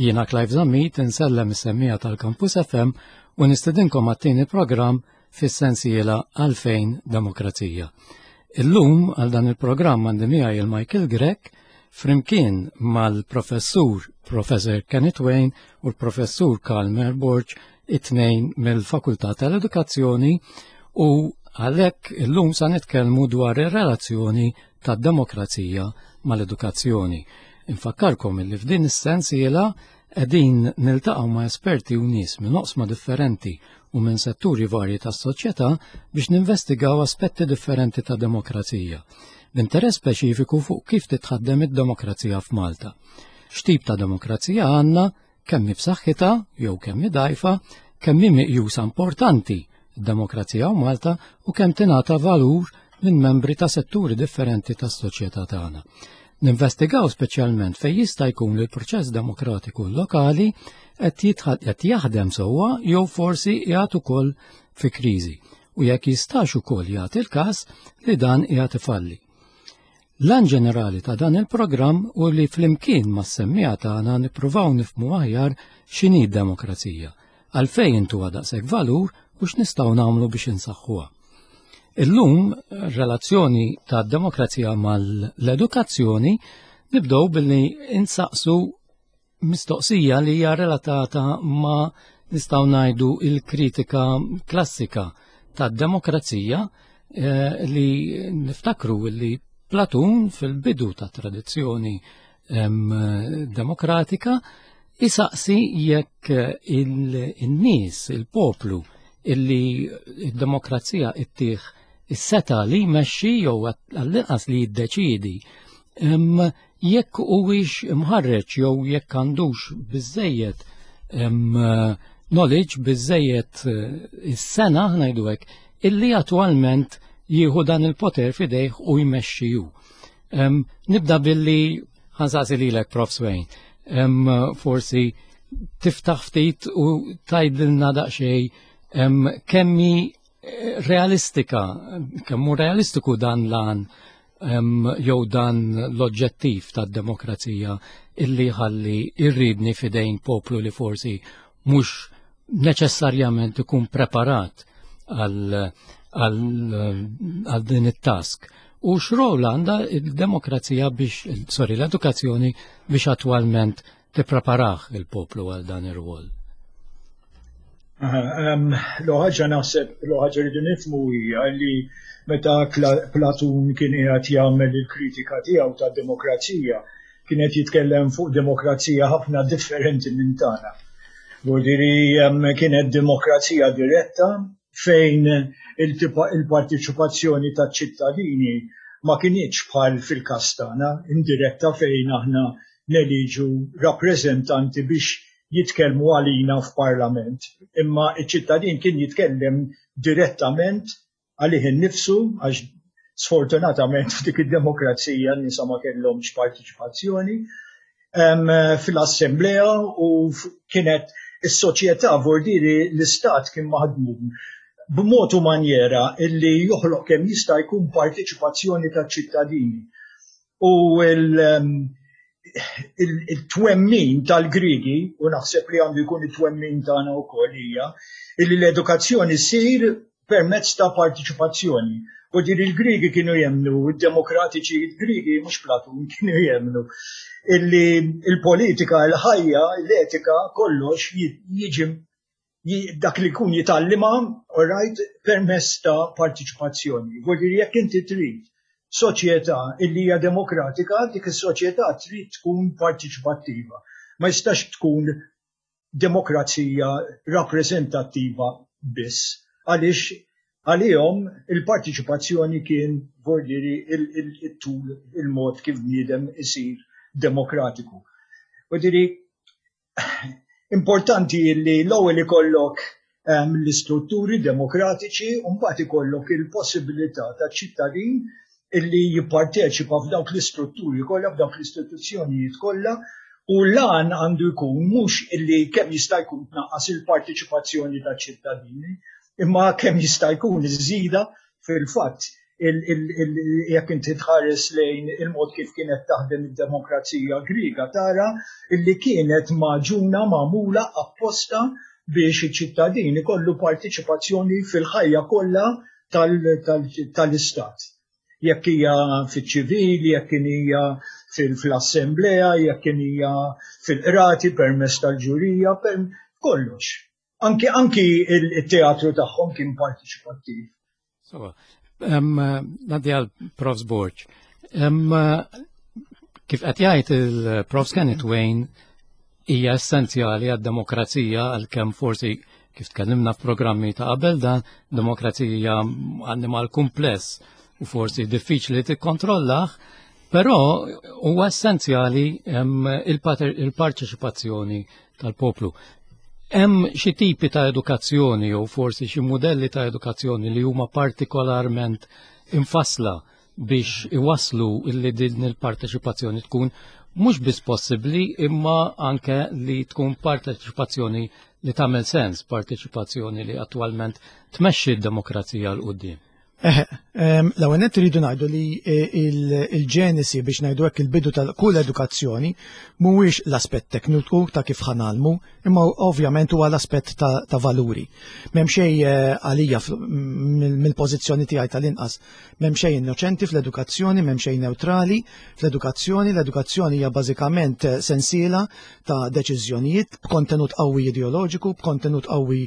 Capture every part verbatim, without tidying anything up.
Jiena Clive Zammit insellem is-semmiegħa tal-Campus F M u nistedinkom għat-tieni programm fis-sensiela Għalfejn Demokrazija. Illum għal dan il-programm għandi miegħi il-Michael Grech flimkien mal-professur Professor Kenneth Wain u l-professur Karl Borg, it-tnejn mill-Fakultà tal-Edukazzjoni, u għalhekk illum sa nitkellmu dwar ir-relazzjoni tad-demokrazija mal-edukazzjoni. Infakkarkom li f'din is-sensiela qegħdin niltaqgħu ma' esperti u nies minn oqsma differenti u minn setturi varji tas-soċjetà biex ninvestigaw aspetti differenti ta' demokrazija, b'interess speċifiku fuq kif titħaddem id-demokrazija f'Malta. X'tip ta' demokrazija għandna, kemm b'saħħitha jew kemm dgħajfa, kemm hi meqjusa importanti d-demokrazija f'Malta u kemm tingħata valur minn membri ta' setturi differenti tas-soċjetà tagħna. Ninvestigaw speċjalment fejn jista' jkun li l-proċess demokratiku lokali qed qed jaħdem sewwa jew forsi qiegħed ukoll fi kriżi u jekk jistax ukoll jagħti l-każ li dan qiegħed ifalli. L-għan ġenerali ta' dan il-programm hu li flimkien mas-semmiegħa tagħna nippruvaw nifhmu aħjar x'inhi d-demokrazija, għalfejn intuha daqshekk valur u x'nistgħu nagħmlu biex insaħħuha. Illum, relazzjoni ta' demokrazija mal-edukazzjoni, nibdew billi insaqsu mistoqsija li hija relatata ma', nistgħu ngħidu, il-kritika klassika tad-demokrazija eh, li niftakru li Platun fil-bidu ta' tradizzjoni demokratika isaqsi jekk il-nies, il-poplu, illi id-demokrazija ittih is-setgħa li jmexxi jew għall-inqas li jiddeċidi, jekk huwiex imħarreġ jew jekk għandux biżejjed knowledge, biżejjed eh, is-sengħa, ngħidu hekk, illi attwalment jieħu dan il-poter fidejh u jmexxi hu. Nibda billi ħa nsaqsi lilek, Profs Wain. Forsi tiftaħ ftit u tgħidilna daqsxejn kemm hi eh, realistika, kemm hu realistiku dan l-għan jew dan l-oġġettiv tad-demokrazija illi ħalli irridni fidejn poplu li forsi mhux neċessarjament ikun preparat għal għal din it-task. U x'rol għandha il-demokrazija biex, sorry, l-edukazzjoni biex attwalment tippreparah il-poplu għal dan ir-rwol? L-ħaġa naħseb, l-ħaġa rridu nifhmu hija li meta Platun kien qiegħed jagħmel il-kritika tiegħu tad-demokrazija, kien qed jitkellem fuq demokrazija ħafna differenti minn tagħna. Vuldiri kienet demokrazija diretta fejn il-partiċipazzjoni ta' ċittadini ma kinitx bħal fil-każ tagħna, indiretta, fejn aħna neliġu rappreżentanti biex jitkellmu għalina f'parlament. Imma iċ-ċittadin kien jitkellem direttament għalih innifsu, għax sfortunatament f'dik id-demokrazija n-nisa ma kellhomx partiċipazzjoni fil-assemblea u kienet is-soċjetà, vordiri l-istat kien maħdum b'mod u manjera illi joħloq kemm jista' jkun partiċipazzjoni taċ-ċittadini. U il-twemmin tal-Grigi, u naħseb li għandu jkun it-twemmin tagħna wkoll, hija illi l-edukazzjoni ssir permezz ta' partiċipazzjoni. U din il-Grigi kienu jemnu, il-demokratiċi il-Grigi, mhux Platun, kienu jemnu illi il-politika, il-ħajja, l-etika, kollox jiġi dak li kun jitgħallimha, all right, permezz ta' partiċipazzjoni. Vuol jekk inti trid soċjetà illi hija demokratika, dik is-soċjetà trid tkun partiċipattiva. Ma jistax tkun demokrazija rappreżentattiva biss, għaliex għalihom il-partiċipazzjoni kien vordiri il-tul, il-mod kif bniedem isir demokratiku. U diri importanti li l-ewwel ikollok ehm, l-istrutturi demokratiċi u mbagħad ikollok il-possibilità ta' ċittadin illi jipparteċipa f'dawk l-istrutturi kollha, f'dawk l-istituzzjonijiet kollha, u l-għan għandu jkun mhux illi kemm jista' jkun tnaqqas il-partiċipazzjoni ta' ċittadini, imma kemm jista' jkun iżżidha fil-fatt. Jekk inti tħares lejn il-mod kif kienet taħdem id-demokrazija Griega, tara illi kienet magħġuna, magħmula apposta biex iċ-ċittadini kollu partiċipazzjoni fil-ħajja kollha tal-istat. Jekk hija fiċ-ċivili, jekk hija fil-assemblea, jekk hija fil-qrati permezz tal-ġurija, per kollox. Anki anki il-teatru tagħhom kien partiċipattiv. So, ngħaddi għal Profs Borg. Kif qed jgħid il-Profs Kenneth Wain, hija essenzjali għad-demokrazija, għalkemm forsi, kif tkellimna f'programmi ta' qabel dan, demokrazija annimal kumpless u forsi diffiċli tikkontrollah, però huwa essenzjali il-parteċipazzjoni tal-poplu. Hemm xi tipi ta' edukazzjoni jew forsi xi modelli ta' edukazzjoni li huma partikolarment infassla biex iwaslu illi din il-parteċipazzjoni tkun mhux biss possibbli, imma anke li tkun parteċipazzjoni li tagħmel sens, parteċipazzjoni li attwalment tmexxi d-demokrazija 'l quddiem? L-ewwel nett iridu ngħidu li eh, il-ġenesi, biex ngħidu hekk, il-bidu tal kull edukazzjoni mhuwiex l-aspett tekniku ta' kif ħa ngħallmu, imma ovvjament huwa l-aspett ta' valuri. M'hemm xejn eh, għalija, mill-pożizzjoni tiegħi tal-inqas, m'hemm xejn innoċenti fl-edukazzjoni, m'hemm xejn neutrali fl-edukazzjoni. L-edukazzjoni hija bażikament eh, sensiela ta' deċiżjonijiet b'kontenut qawwi ideoloġiku, b'kontenut qawwi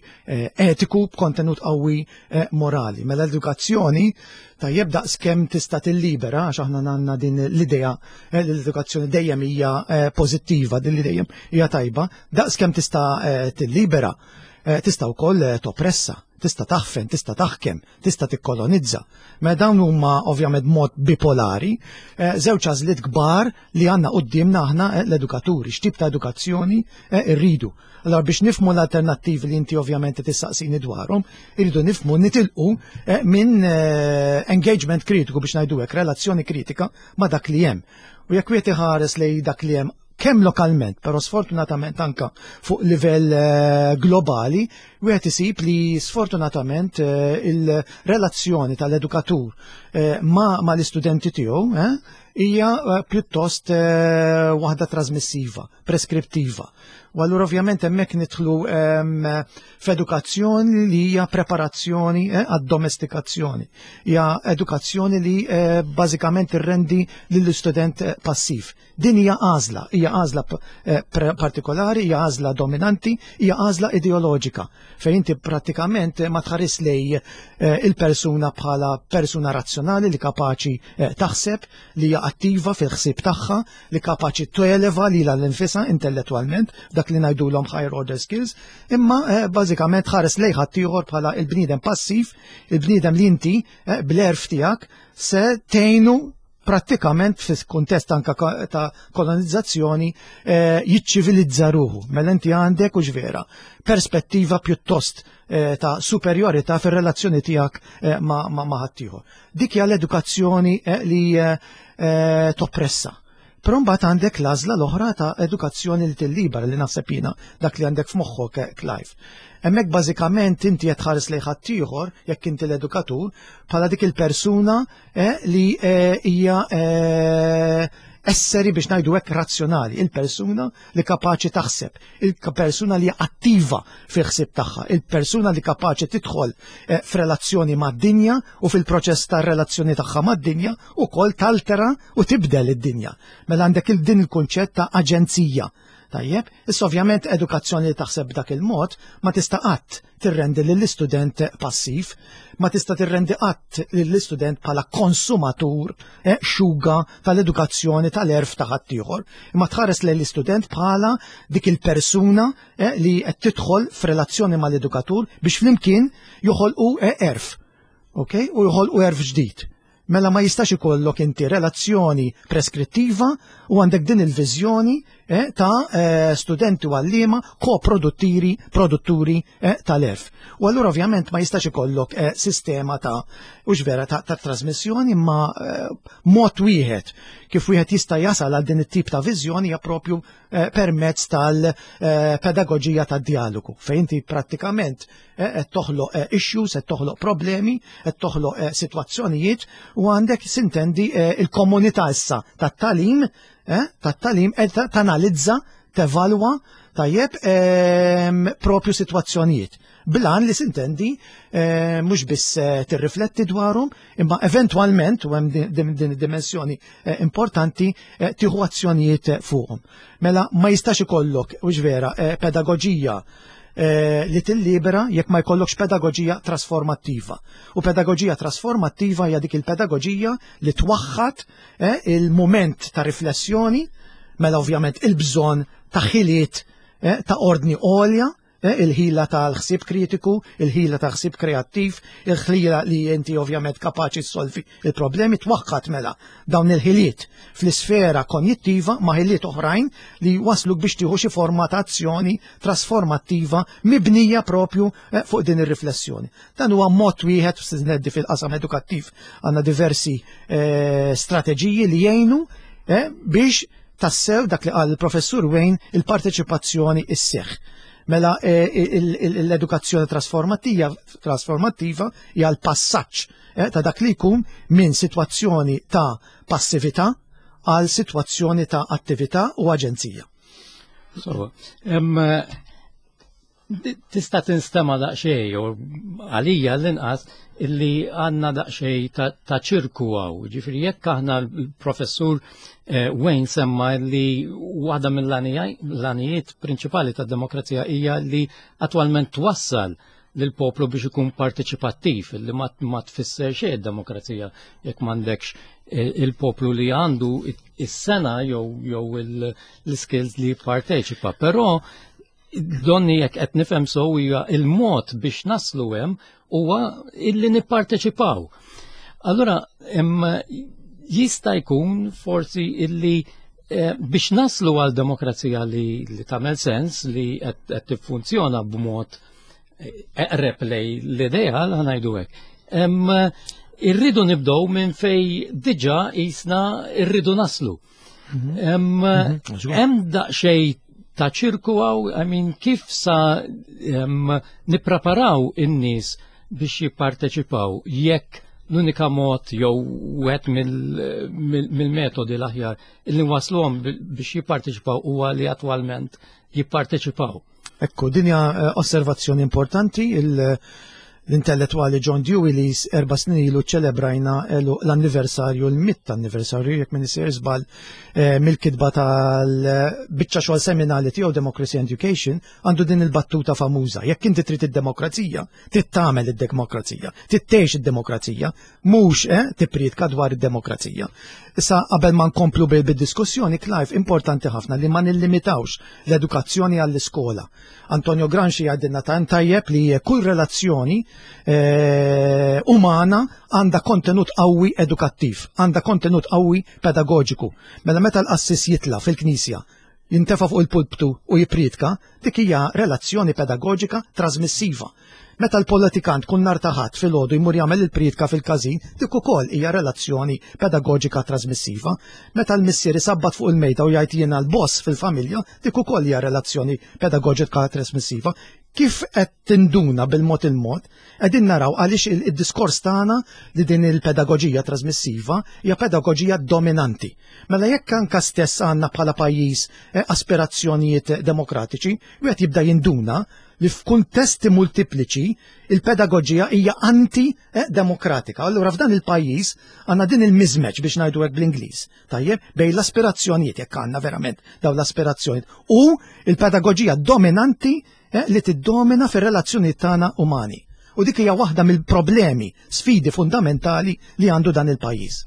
etiku, b'kontenut qawwi morali. Mela l-edukazzjoni, tajjeb, daqs kemm tista' tillibera, għax aħna għandna din l-idea eh, li l-edukazzjoni dejjem hija eh, pożittiva, din li dejjem hija tajba, daqs kemm tista' eh, tillibera, tista' wkoll toppressa, tista' taħfen, tista' taħkem, tista' tikkolonizza. Ma dawn huma ovvjament mod bipolari, żewġ għażliet kbar li għandna quddiemna aħna l-edukaturi, x'tip ta' edukazzjoni rridu. Allora, biex nifhmu l-alternattivi li inti ovvjament tistaqsini dwarhom, irridu nifhmu, nitilqu eh, minn eh, engagement kritiku, biex ngħidu hekk, relazzjoni kritika ma' dak li hemm. U jekk wieħed iħares lej dak li hemm kemm lokalment, però sfortunatament anka fuq livell eh, globali, wieħed isib li sfortunatament il-relazzjoni tal-edukatur ma, ma l-istudenti tiegħu hija pjuttost waħda trasmissiva, preskriptiva. U allura ovvjament hemmhekk nidħlu f'edukazzjoni li hija preparazzjoni eh, għad-domestikazzjoni. Hija edukazzjoni li eh, bażikament irrendi lill-istudent eh, passiv. Din hija għażla, hija għażla partikolari, hija għażla dominanti, hija għażla ideoloġika, fejn inti prattikament ma tħares lej il-persuna bħala persuna razzjonali li kapaċi taħseb, li hija attiva fil-ħsieb tagħha, li kapaċi televa lilha nfisha intellettwalment, dak li ngħidulhom higher order skills, imma eh, bażikament ħares lejn ħaddieħor bħala il-bniedem passiv, il-bniedem li inti eh, bl-għerf tiegħek se tgħinu prattikament fis kuntest anka ta' kolonizzazzjoni eh, jiċċivilizza ruħu. Mela inti għandek u vera perspettiva pjuttost eh, ta' superjorità fir-relazzjoni tiegħek eh, ma' ma, ma ħaddieħor. Dik hija l-edukazzjoni eh, li eh, eh, toppressa. Però mbagħad għandek l-għażla l-oħra ta' edukazzjoni li tillibera, li naħseb jiena dak li għandek f'moħħok, eh, Clive. Hemmhekk bażikament inti qed tħares lejn ħaddieħor, jekk inti l-edukatur, bħala dik il-persuna eh, li eh, hija eh, esseri, biex ngħidu hekk, razzjonali, il-persuna li kapaċi taħseb, il-persuna li attiva fil-ħsieb tagħha, il-persuna li kapaċi tidħol eh, f'relazzjoni mad-dinja u fil-proċess ta' relazzjoni tagħha mad-dinja ukoll taltera u tibdel id-dinja. Mela għandek il-din il-kunċett ta' aġenzija. Tajjeb, issa ovvjament edukazzjoni li taħseb b'dak il-mod ma tista' qatt tirrendi lill-istudent passiv, ma tista' tirrendi qatt lill-istudent bħala konsumatur eh, xuga tal-edukazzjoni, tal-għerf ta' ħaddieħor, imma tħares lill-istudent bħala dik il-persuna eh, li qed tidħol f'relazzjoni mal-edukatur biex flimkien joħolqu eh, għerf. Ok? U joħolqu għerf ġdid. Mela ma jistax ikollok inti relazzjoni preskrittiva u għandek din il-viżjoni eh, ta' eh, studenti u għalliema koproduttiri produtturi eh, tal-għerf. U allura ovvjament ma jistax ikollok eh, sistema ta' ux vera ta', ta' trasmissjoni, ma eh, mod wieħed kif wieħed jista' jasal għal din it-tip ta' viżjoni hija propju eh, permezz tal-pedagoġija tad-dialogu, fejn inti prattikament eh, qed toħloq eh, issues, qed toħloq problemi, qed toħloq eh, sitwazzjonijiet u għandek sintendi eh, il-komunità issa tat-tagħlim eh, tat-tagħlim qed tanalizza, tevalwa tajjeb ehm, propju sitwazzjonijiet. Blan li sintendi eh, mhux biss eh, tirrifletti dwarhom, imma eventwalment u hemm din- din din id-dimensjoni eh, importanti eh, tieħu azzjonijiet eh, fuqhom. Mela ma jistax ikollok, hux vera, eh, pedagoġija eh, li tillibera jekk ma jkollokx pedagoġija trasformattiva. U pedagoġija trasformattiva hija dik il-pedagoġija li twaħħad eh, il-moment ta' riflessjoni, mela ovvjament il-bżonn ta' ħiliet eh, ta' ordni għolja, eh, il-ħila tal-ħsieb kritiku, il-ħila ta' ħsieb kreattiv, il-ħila li inti ovvjament kapaċi solvi il-problemi, twaħħad mela dawn il-ħiliet fl-isfera konjittiva ma' ħiliet oħrajn li wasluk biex tieħu xi forma ta' azzjoni trasformattiva mibnija propju eh, fuq din ir-riflessjoni. Dan huwa mod wieħed neddi fil-qasam edukattiv għandna diversi eh, strateġiji li jgħinu eh, biex tassew dak li qal il-professur Wayne, il-parteċipazzjoni isseħ. Mela eh, il- il- l-edukazzjoni trasformattiva trasformattiva hija l-passaġġ eh, ta' dak li jkun minn sitwazzjoni ta' passività għal sitwazzjoni ta' attività u aġenzija. So, em, tista' tinstema daqsxejn, u għalija l-inqas, illi għandna daqsxejn ta', ta' ċirku hawn. Ġifieri jekk aħna l-professur eh, Wayne semma li waħda mill-għanijiet prinċipali tad-demokrazija hija li attwalment twassal lil poplu biex ikun parteċipattiv, li ma, ma tfisser xejn demokrazija jekk m'għandekx eh, il-poplu li għandu is-sengħa jew jew l-skills li jipparteċipa. Però donni jekk qed nifhem sew hija il-mod biex naslu hemm huwa illi nipparteċipaw. Allura jista' jkun forsi illi eh, biex naslu għal demokrazija li, li tagħmel sens, li qed tiffunzjona b'mod eh, eqreb lej l-ideal, ħa ngħidu hekk. Irridu nibdew minn fej diġà jisna irridu naslu. Mhm. Mhm. Hemm daqsxejn ta' ċirku hawn, I mean, kif sa nippreparaw in-nies biex jipparteċipaw jekk l-unika mod jew wieħed mill-metodi l-aħjar illi wasluhom biex jipparteċipaw huwa li attwalment jipparteċipaw? Ekku, din hija eh, osservazzjoni importanti. Il- l-intellettuali John Dewey, li erba' snin ilu ċelebrajna l-anniversarju, l-mitt anniversarju, jekk m'iniex sejjer żball, eh, mill-kitba tal-biċċa xogħol seminali tiegħu Democracy and Education, għandu din il-battuta famuża: "Jekk inti trid id-demokrazija, trid tagħmel id-demokrazija, trid tgħix id-demokrazija, mhux eh, tippriedka dwar id-demokrazija." Issa, qabel ma nkomplu bil-diskussjoni, Clive, importanti ħafna li ma nillimitawx l-edukazzjoni għall-iskola. Antonio Gramsci għidilna tant tajjeb li kull relazzjoni eh, umana għandha kontenut qawwi edukattiv, għandha kontenut qawwi pedagogiku. Mela meta l-qassis jitla fil-knisja, jintefa fuq il-pulptu u jipritka, dik hija relazzjoni pedagogika trasmissiva. Meta l-politikant kull nhar ta' Ħadd filgħodu jmur jagħmel il-pritka fil-każin, dik ukoll hija relazzjoni pedagogika trasmissiva. Meta l-missier isabbat fuq il-mejda u jgħid "jiena l-boss fil-familja", dik ukoll hija relazzjoni pedagogika trasmissiva. Kif qed tinduna bil-mod il-mod, qegħdin naraw għaliex il-diskors tagħna li din il-pedagoġija trasmissiva hija pedagoġija dominanti. Mela jekk anka stess għandna bħala pajjiż eh, aspirazzjonijiet demokratiċi, wieħed jibda jinduna li f'kuntesti multipliċi il-pedagoġija hija anti-demokratika. Allura f'dan il-pajjiż għandna din il-mismatch, biex ngħidu hekk bl-Ingliż. Tajjeb, bejn l-aspirazzjonijiet, jekk għandna verament dawn l-aspirazzjonijiet, u il-pedagoġija dominanti eh, li tiddomina fir-relazzjoni tagħna umani. U dik hija waħda mill-problemi, sfidi fundamentali li għandu dan il-pajjiż.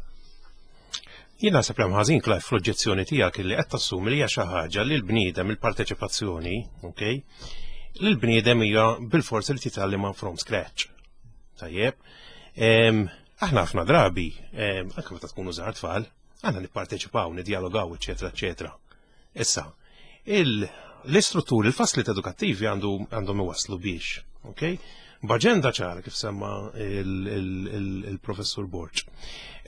Jien naħseb li ħażin, Clive, fl-oġġezzjoni tiegħek li qed tassumi li hija xi ħaġa li l-bniedem, il-parteċipazzjoni, okay? Li l-bniedem hija bil-forsi li titgħallimha from scratch. Tajjeb. Aħna ħafna drabi, anke meta tkunu żgħar tfal, aħna nipparteċipaw, nidjalogaw, eċetera, eċetera. Issa, L-istrutturi, il-fasliet edukattivi għandhom iwaslu biex, ok? B'aġenda ċara kif semma il-professur Borg.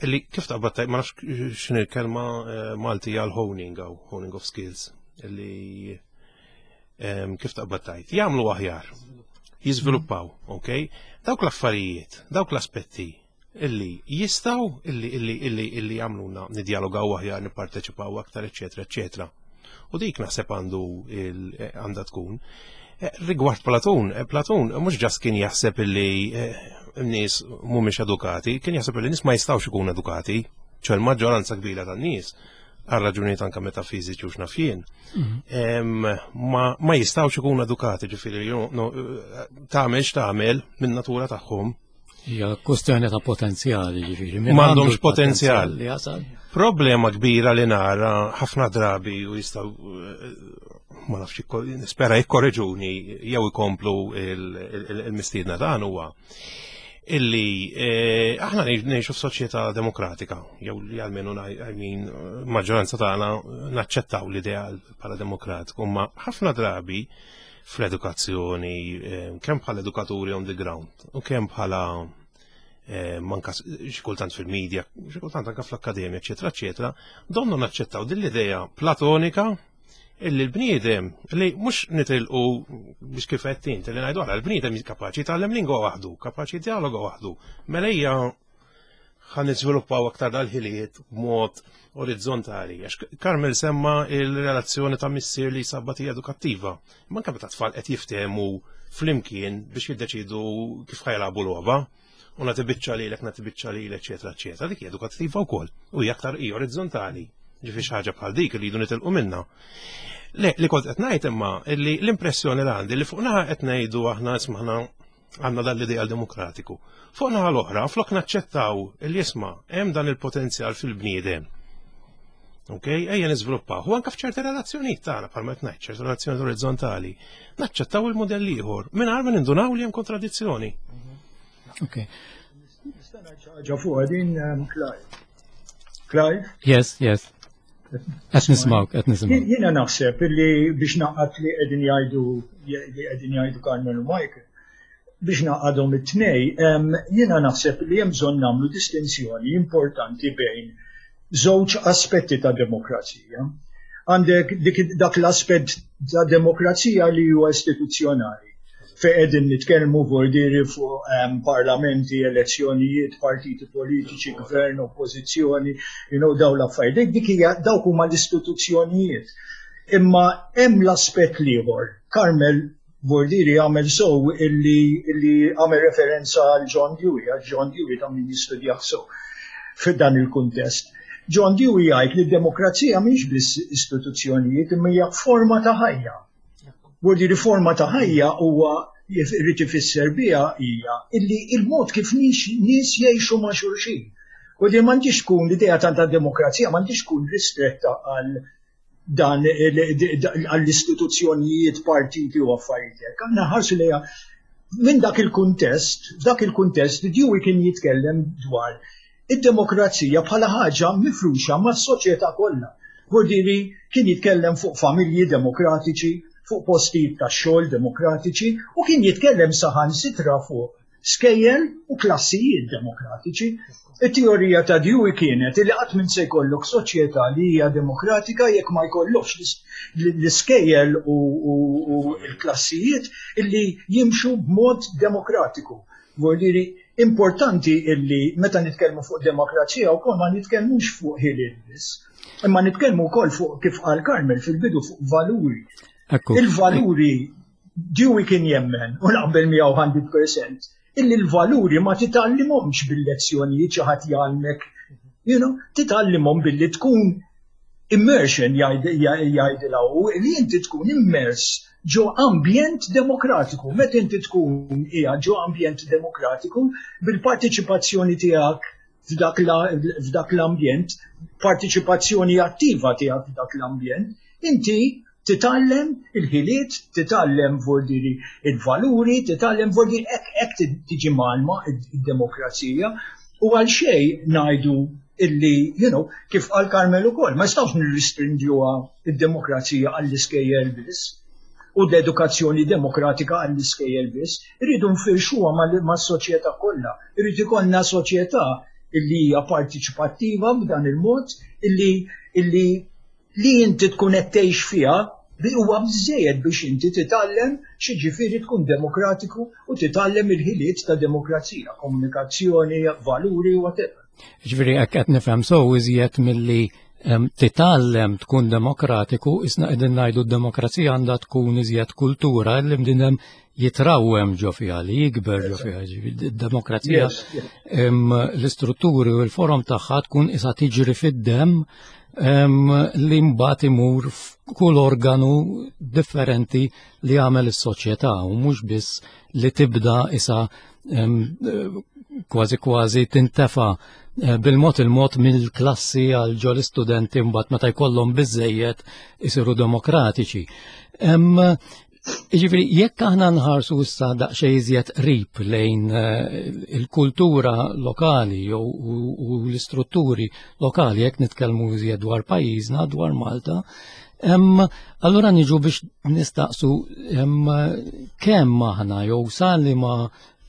Illi kif taqbad, ma nafx x'inhi l-kelma eh, Malti għal honing għaw, honing of skills, illi kif taqbad tajt, jagħmlu aħjar, jiżviluppaw, ok? Dawk l-affarijiet, dawk l-aspetti illi jistgħu illi illi illi illi jagħmluna nidjalogaw aħjar, nipparteċipaw aktar, eċetera, eċetera. U dik naħseb għandu għandha tkun. Eh, rigward Platun, eh, Platun mhux just kien jaħseb illi eh, n-nies mhumiex edukati, kien jaħseb illi nies ma jistgħux ikunu edukati, ċe l-maġġoranza kbira tan-nies għal raġunijiet anka metafiżiċi u x'naf jien, mhm. ma jistgħux ikunu edukati, ġifieri tagħmel x'tagħmel minn natura tagħhom. Hija kwestjoni ta' potenzjali, ġifieri. M'għandhomx potenzjal. Problema kbira li nara ħafna drabi u jistgħu, ma nafx, nispera jikkorreġuni jew ikomplu il-mistiedna dan, huwa illi eh, aħna ngħixu f'soċjetà demokratika, jew li almenu, I mean, maġġoranza tagħna naċċettaw l-ideal bħala demokratiku, ma ħafna drabi fl-edukazzjoni, eh, kemm bħala edukaturi on the ground u kemm bħala eh, manka xi kultant fil-medja, xi kultant anka fl-akkademja, eċetera, eċetera, donnu naċċettaw din l-idea platonika illi l-bniedem, li mhux nitilqu biex kif qed int, li ngħidu għala l-bniedem kapaċi jitgħallem lingwa waħdu, kapaċi dialoga waħdu. Mela hija ħa niżviluppaw aktar dal-ħiliet b'mod orizzontali. Għax Carmel semma il-relazzjoni ta' missier li sabbat hija edukattiva. Manka meta tfal qed jiftehmu flimkien biex jiddeċidu kif ħa jilagħbu logħba u nagħti biċċa lilek, nagħti biċċa lilek, eċetera, eċetera. Dik hija edukattiva wkoll u hija aktar hija orizzontali. Ġifieri xi ħaġa bħal dik li jridu nitilqu minna. Le, li kont qed ngħid imma li l-impressjoni li għandi li fuq naħa qed ngħidu aħna ismagħna għandna dan l-ideal demokratiku. Fuq naħa l-oħra, flok naċċettaw il jisma' hemm dan il-potenzjal fil-bniedem. Ok, ejja niżviluppaw. U anke f'ċerti relazzjonijiet tagħna, bħalma qed ngħid, ċerti relazzjoni orizzontali, naċċettaw il-modell ieħor mingħajr ma nindunaw li hemm kontradizzjoni. Ok. Nista' ngħid xi ħaġa fuq din, um, Clive? Clive? Yes, yes. Qed nismawk, qed nismawk. Jiena naħseb li biex naqgħad li qegħdin jgħidu li qegħdin jgħidu Carmel u Michael, biex naqadhom it-tnej, jiena naħseb li hemm bżonn nagħmlu distinzjoni importanti bejn żewġ aspetti ta' demokrazija. Għandek dak l-aspett ta' demokrazija li huwa istituzzjonali, fejn qegħdin nitkellmu vordiri fuq um, parlamenti, elezzjonijiet, partiti politiċi, gvern, oppożizzjoni, you know, daw l-affarijiet. Dik hija dawk huma l-istituzzjonijiet. Imma hemm l-aspett l-ieħor. Carmel Vordiri għamel sow illi, illi għamel referenza għal John Dewey, għal John Dewey ta' min jistudjah so f'dan il-kuntest. John Dewey jgħid li d-demokrazija mhix biss istituzzjonijiet, imma hija forma ta' ħajja. Vordiri forma ta' ħajja huwa jrid ifisser biha hija illi il-mod kif nies jgħixu ma' xulxin. U di m'għandix tkun l-idea ta' demokrazija, m'għandix tkun ristretta għal dan għall-istituzzjonijiet, partiti u affarijiet hekk. Aħna ħarsu lejha minn dak il-kuntest, f'dak il-kuntest Dewey kien jitkellem dwar id-demokrazija bħala ħaġa mifruxa mas-soċjetà kollha. Vordiri kien jitkellem fuq familji demokratiċi, fuq postijiet ta' xogħol demokratiċi u kien jitkellem saħansitra fuq skejjel u klassijiet demokratiċi. It-teorija ta' Dewey kienet li qatt minn se jkollok soċjetà li hija demokratika jekk ma jkollokx l-iskejjel u l-klassijiet illi jimxu b'mod demokratiku. Vuol importanti illi meta nitkellmu fuq demokrazija wkoll ma nitkellmux fuq ħiliet biss, imma nitkellmu wkoll fuq, kif qal Carmel fil-bidu, fuq valuri. Il-valuri, Dewey kien jemmen, u naqbel miegħu mija fil-mija, illi l-valuri ma titgħallimhomx bil-lezzjonijiet, xi ħadd jgħallmek, you know, titgħallimhom billi tkun immersion, jgħidilha, li inti tkun immers ġo ambjent demokratiku. Meta inti tkun hija ġo ambjent demokratiku, bil-partiċipazzjoni tiegħek f'dak l-ambjent, partiċipazzjoni attiva tiegħek f'dak l-ambjent, inti titgħallem il-ħiliet, titgħallem vordiri il-valuri, titgħallem vordiri hekk hekk tiġi mgħallma id-demokrazija u għal xejn ngħidu illi, you know, kif qal Carmel ukoll, ma nistgħux nirrestrinġuha id-demokrazija għall-iskejjel biss u l-edukazzjoni demokratika għall-iskejjel biss, irridu nfirxuha mas-soċjetà kollha. Irrid ikollna soċjetà illi hija partiċipattiva b'dan il-mod illi illi li inti tkun qed tgħix fiha huwa biżejjed biex inti titgħallem x'jiġifieri tkun demokratiku u titgħallem il-ħiliet ta' demokrazija, komunikazzjoni, valuri, whatever. Ġifieri hekk qed nifhem so iżjed milli titgħallem tkun demokratiku, isna qegħdin ngħidu d-demokrazija għandha tkun iżjed kultura li bniedem jitrawwem ġo fiha, li jikber ġo fiha. Id-demokrazija l-istrutturi u l-forom tagħha tkun isa tiġri fid-dem li mbagħad imur f'kull organu differenti li jagħmel is-soċjetà u mhux biss li tibda isa kważi kważi tintefa eh, bil-mod il-mod mill-klassi għal ġol istudenti mbagħad meta jkollhom biżejjed isiru demokratiċi. Ġifieri, jekk aħna nħarsu issa daqsxejn iżjed qrib lejn eh, il-kultura lokali jew u l-istrutturi lokali, jekk nitkellmu iżjed dwar pajjiżna, dwar Malta, allura niġu biex nistaqsu kemm aħna jew sa liema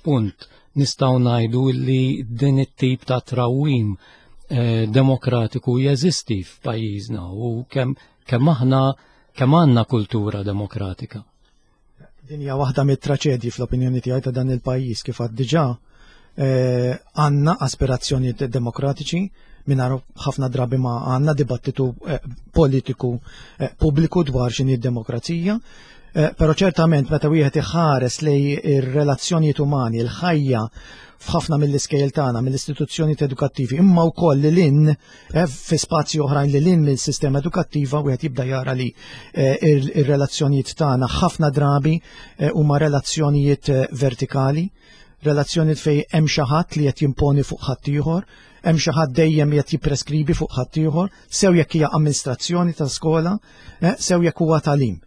punt nistgħu ngħidu li din it-tip ta' trawwim eh, demokratiku jeżisti f'pajjiżna u kemm kemm aħna kemm għandna kultura demokratika. Din hija waħda mit-traċedji fl-opinjoni tiegħi ta' dan il-pajjiż kif għad diġà eh, għandna aspirazzjonijiet demokratiċi mingħajr ħafna drabi ma għandna dibattitu eh, politiku eh, pubbliku dwar x'inhi d-demokrazija. Però ċertament meta wieħed iħares lej ir-relazzjonijiet umani, il-ħajja f'ħafna mill-iskejjel tagħna, mill-istituzzjonijiet edukattivi, imma wkoll li lin fi spazji oħrajn li lin mill-sistema edukattiva, wieħed jibda jara li ir-relazzjonijiet tagħna ħafna drabi huma relazzjonijiet vertikali, relazzjonijiet fej hemm xi ħadd li qed jimponi fuq ħaddieħor, hemm xi ħadd dejjem qed jippreskribi fuq ħaddieħor, sew jekk hija amministrazzjoni ta' skola, sew jekk huwa tagħlim.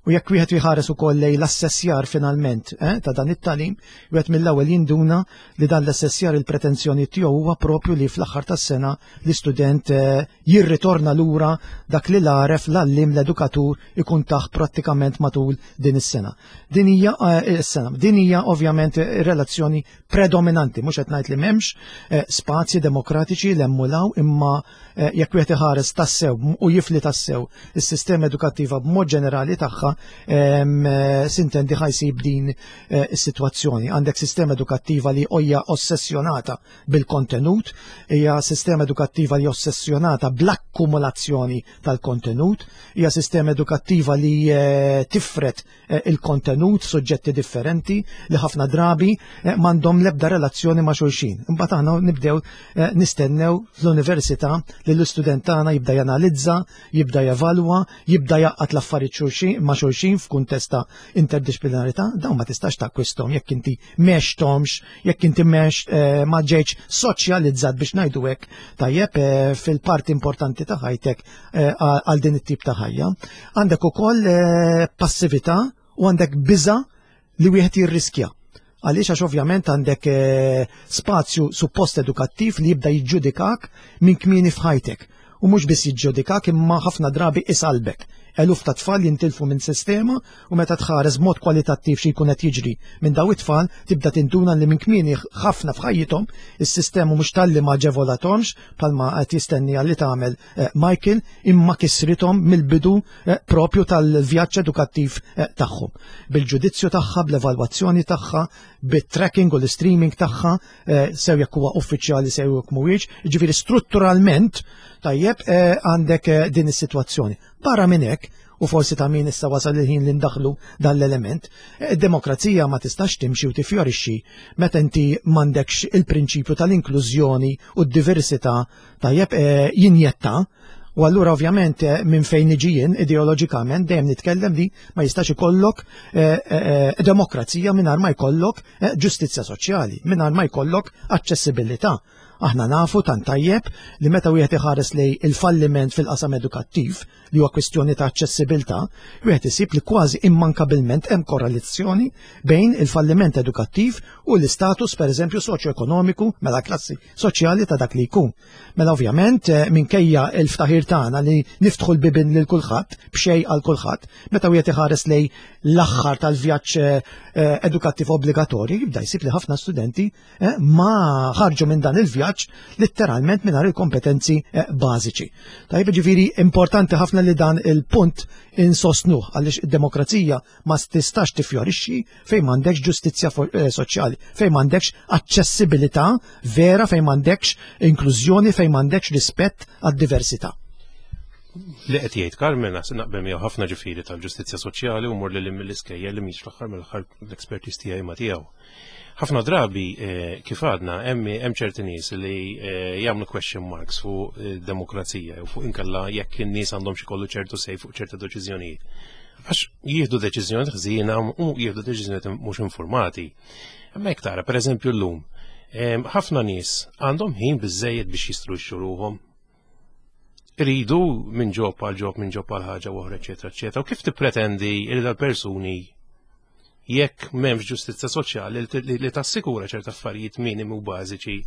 U jekk wieħed jħares ukoll lejn l-assessjar finalment eh, ta' dan it-tagħlim, wieħed mill-ewwel jinduna li dan l-assessjar il-pretenzjoni tiegħu huwa propju li fl-aħħar tas-sena l-istudent eh, jirritorna lura dak li l-għaref l-għalliem l-edukatur ikun taħ prattikament matul din is-sena. Din hija eh, is-sena. Din hija ovvjament relazzjoni predominanti, mhux qed ngħid li m'hemmx eh, spazji demokratiċi li emmulaw imma eh, jekk wieħed iħares tassew u jifli tassew is-sistema edukattiva b'mod ġenerali tagħha eh, sintendi ħa jsib din eh, is-sitwazzjoni. Għandek sistema edukattiva li hija ossessjonata bil-kontenut, hija sistema edukattiva li ossessjonata bl-akkumulazzjoni tal-kontenut, hija sistema edukattiva li eh, tifret il-kontenut suġġetti differenti li ħafna drabi m'għandhom l-ebda relazzjoni ma' xulxin. Imbagħad aħna nibdew nistennew fl-università li l-istudent tagħna jibda janalizza, jibda jevalwa, jibda jgħaqqad l-affarijiet xulxin ma' xulxin f'kuntest ta' interdisciplinarità, dawn ma tistax takkwistom jekk inti m'għexthomx, jekk inti m'għex eh, ma ġejtx soċjalizzat biex ngħidu hekk tajjeb eh, fil-parti importanti ta' ħajtek eh, għal din it-tip ta' ħajja. Għandek ukoll passività u għandek biża li wieħed jirriskja. Għaliex għax ovvjament għandek spazju suppost edukattiv li jibda jiġġudikak minn kmieni f'ħajtek. U mhux biss jiġġudikak imma ħafna drabi isalbek. Eluf ta' tfal jintilfu minn sistema u meta tħares b'mod kwalitattiv xi jkun qed jiġri minn daw it-tfal tibda tinduna li minn kmieni ħafna f'ħajjithom is-sistema mhux talli ma aġevolathomx bħalma qed jistenni li tagħmel eh, Michael imma kisrithom mill-bidu eh, propju tal-vjaġġ edukattiv eh, tagħhom. Bil-ġudizzju tagħha, bl-evalwazzjoni tagħha, bit-tracking u l-streaming tagħha, sew jekk huwa uffiċjali sew jekk mhuwiex, jiġifieri strutturalment tajjeb għandek din is-sitwazzjoni. Barra minn hekk, u forsi ta' min issa wasal il-ħin li ndaħlu dan l-element, id-demokrazija ma tistax timxi u tifjorixxi meta inti m'għandekx il-prinċipju tal-inklużjoni u d-diversità tajjeb eh, jinjetta. U allura ovvjament eh, minn fejn niġi jien ideoloġikament dejjem nitkellem li ma jistax ikollok eh, demokrazija mingħajr ma jkollok ġustizzja soċjali, mingħajr ma jkollok aċċessibilità. Aħna nafu tant tajjeb li meta wieħed iħares lej il-falliment fil-qasam edukattiv li huwa kwistjoni ta' aċċessibilità, wieħed isib li kważi immankabilment hemm korrelazzjoni bejn il-falliment edukattiv u l-istatus pereżempju soċjoekonomiku mela klassi soċjali ta' dak li jkun. Mela ovvjament minkejja l-ftaħir tagħna li niftħu l-bibien lil kulħadd b'xejn għal kulħadd, meta wieħed iħares lej l-aħħar tal-vjaġġ edukattiv obbligatorju jibda jsib li ħafna studenti ma ħarġu minn dan il-vjaġġ letteralment mingħajr il-kompetenzi bażiċi. Tajjeb, ġifieri importanti ħafna li dan il-punt insostnuh għaliex id-demokrazija ma tistax tifjorixxi fejn m'għandekx ġustizzja soċjali, fejn m'għandekx aċċessibilità vera, fejn m'għandekx inklużjoni, fejn m'għandekx rispett għad-diversità. Li qed jgħid Carmen naqbel miegħu ħafna ġifieri tal-ġustizzja soċjali u mur lil mill-iskejjel li mhix fl-aħħar mill-aħħar l-expertise tiegħi ma tiegħu. Ħafna drabi kif għadna hemm ċerti nies li jagħmlu question marks fuq demokrazija u fuq inkella jekk in-nies għandhom xi kollu ċertu sej fuq ċerta deċiżjonijiet. Għax jieħdu deċiżjonijiet ħżiena u jieħdu deċiżjonijiet mhux informati. Imma jekk tara pereżempju llum, ħafna nies għandhom ħin biżżejjed biex jistruxxu ruħhom. Iridu minn ġob għal ġob, minn ġob għal ħaġa oħra, eċetera, eċetera. U kif tippretendi li dal-persuni jekk m'hemmx ġustizzja soċjali li tassikura ċerta affarijiet minimi u bażiċi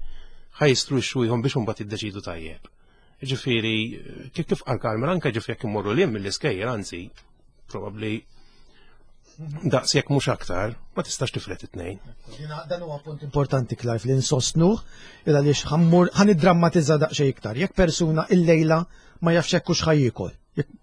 ħajstruxxuhom biex imbagħad jiddeċidu tajjeb. Ġifieri, kif kif qal Carmen, anke ġifieri jekk immorru liem mill-iskejjel, anzi, probabbli daqs jekk mhux aktar, ma tistax tiflet it-tnejn. Dan huwa punt importanti, Clive, li nsostnuh il għaliex ħa niddrammatizza daqsxejn iktar. Jekk persuna illejla ma jafx hekk hux ħajjikol,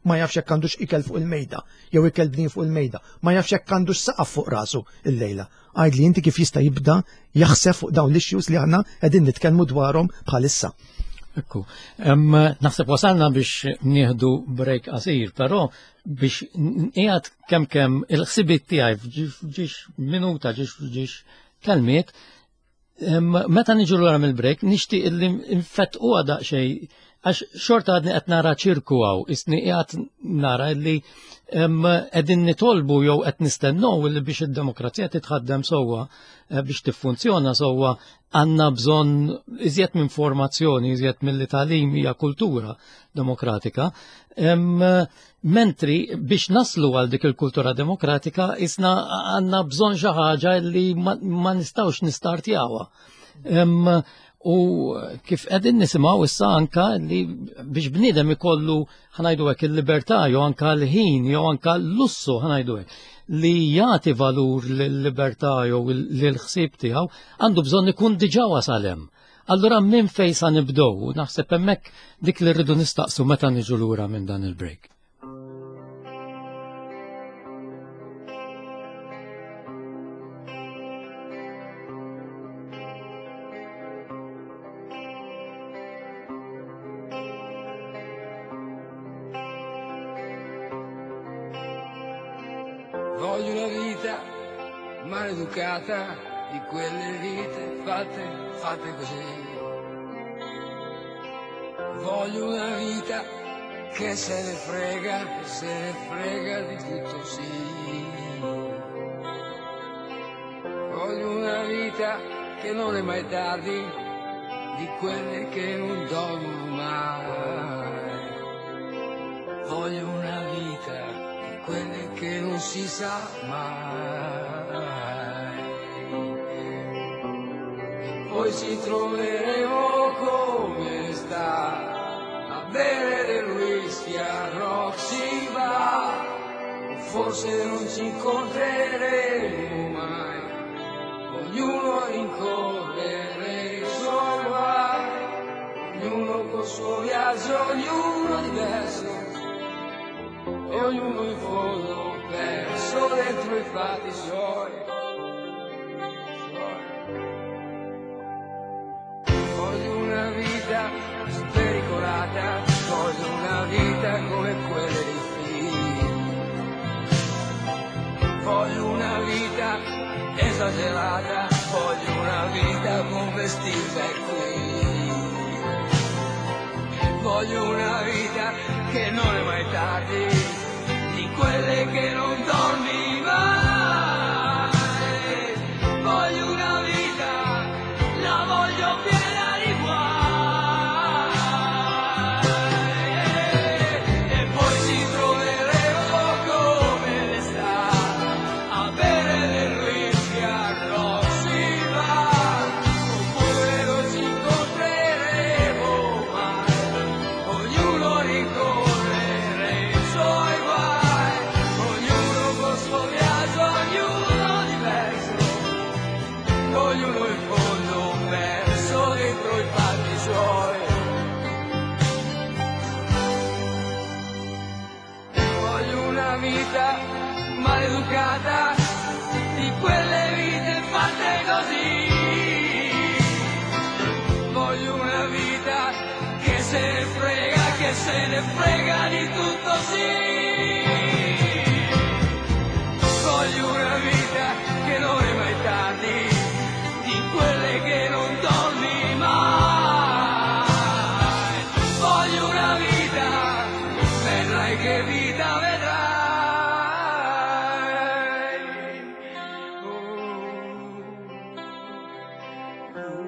ma jafx jekk għandux ikel fuq il-mejda, jew ikel bnin fuq il-mejda, ma jafx jekk għandux saqaf fuq rasu illejla. Għajd li inti kif jista' jibda jaħseb fuq dawn l-issues li aħna qegħdin nitkellmu dwarhom bħalissa. Ekku, naħseb wasalna biex nieħdu break qasir, però biex qiegħed kemm kemm il-ħsibiet tiegħi f'ġiex minuta, ġiex ġiex kelmiet, meta niġu lura mill-break nixtieq li nfettquha daqsxejn għax xorta għadni qed nara ċirku hawn, isni qiegħed nara li qegħdin nitolbu jew qed nistennew li biex id-demokrazija titħaddem sewwa, biex tiffunzjona sewwa, għandna bżonn iżjed minn formazzjoni, iżjed mill-talim hija kultura demokratika. Mentri biex naslu għal dik il-kultura demokratika isna għandna bżonn xi ħaġa li ma nistgħux nistartjawha. U kif qegħdin nisimgħu issa anka li biex bniedem ikollu ħanajdu hekk il-libertà jew anka l-ħin jew anka l-lussu ħanajdu hekk li jagħti valur lill-libertà jew lill-ħsieb tiegħu għandu bżonn ikun diġà wasal hemm. Allura minn fejn sa nibdew? Naħseb hemmhekk dik li rridu nistaqsu meta niġu lura minn dan il-break. Voglio una vita maleducata, di quelle vite fatte, fatte così. Voglio una vita che se ne frega, se ne frega di tutto, sì. Voglio una vita che non è mai tardi, di quelle che non dormono mai. Voglio una vita quelle che non si sa mai. Poi ci troveremo come sta, a bere del whisky a Roxy Bar. Forse non ci incontreremo mai, ognuno rincorrere i suoi guai, ognuno col suo viaggio, ognuno diverso, e ognuno in fondo perso dentro i fatti suoi. Voglio una vita spericolata, voglio una vita come quelle dei film. Voglio una vita esagerata, voglio una vita come Steve McQueen. Voglio una vita che non è mai tardi, di quelle che non dormi mai. Voglio una vita, la voglio piena di guai. vita maleducata, di quelle vite fatte così. Voglio una vita che se ne frega, che se ne frega di tutto, sì. Voglio una vita che non è mai tardi, di quelle che non dormi mai. Voglio una vita, vedrai che vita vedrai. Oh. Oh.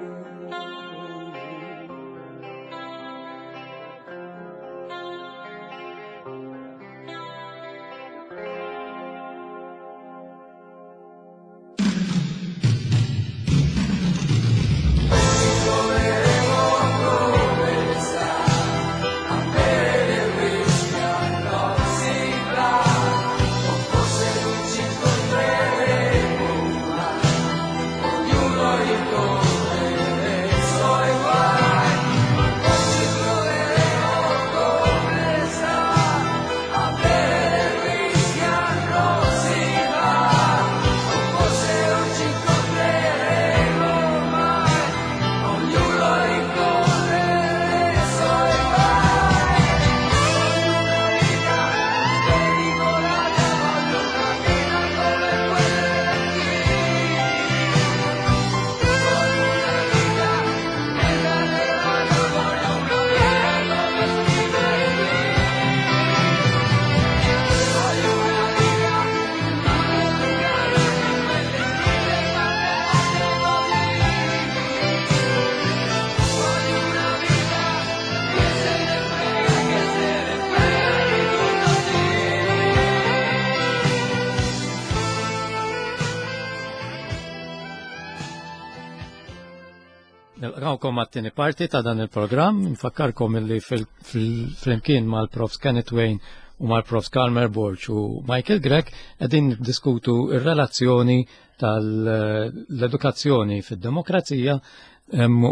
Nilqgħukom għat-tieni parti ta' dan il-programm, nfakkarkom illi fil-flimkien mal-Profs Kenneth Wain u mal-Profs Carmer Borg u Michael Grech qegħdin niddiskutu r-relazzjoni tal-edukazzjoni fid-demokrazija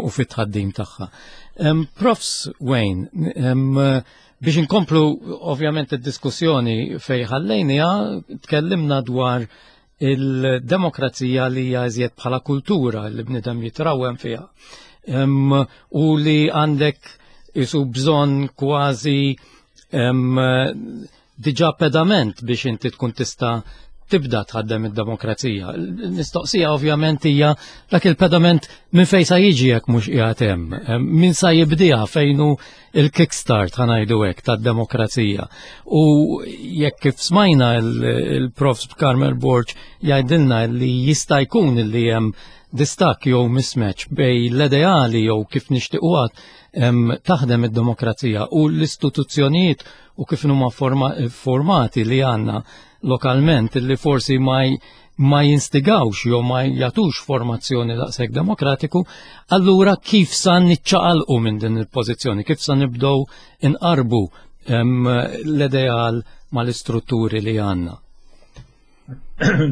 u fit-tħaddim tagħha. Profs Wain, biex inkomplu ovvjament id-diskussjoni fejn ħallejniha, tkellimna dwar il-demokrazija li hija iżjed bħala kultura li bniedem jitrawem fiha. U li għandek isu bżonn kważi diġà pedament biex inti tkun tista' tibda tħaddem id-demokrazija. Mistoqsija ovvjament hija dak il-pedament minn fejn sa jiġi jekk mhux qiegħed hemm, min sa jibdiha fejn hu il-kickstart ħa ngħidu hekk tad-demokrazija. U jekk kif smajna il-Prof Carmel Borg jgħidilna li jista' jkun li hemm distakk jew mismatch bej l-ideali jew kif nixtiequha taħdem id-demokrazija u l-istituzzjonijiet u kif huma formati li għandna lokalment li forsi ma ma jinstigawx jew ma jagħtux formazzjoni daqshekk demokratiku, allura kif sa niċċaqalqu minn din il-pożizzjoni, kif sa nibdew inqarbu l-ideal mal-istrutturi li għandna?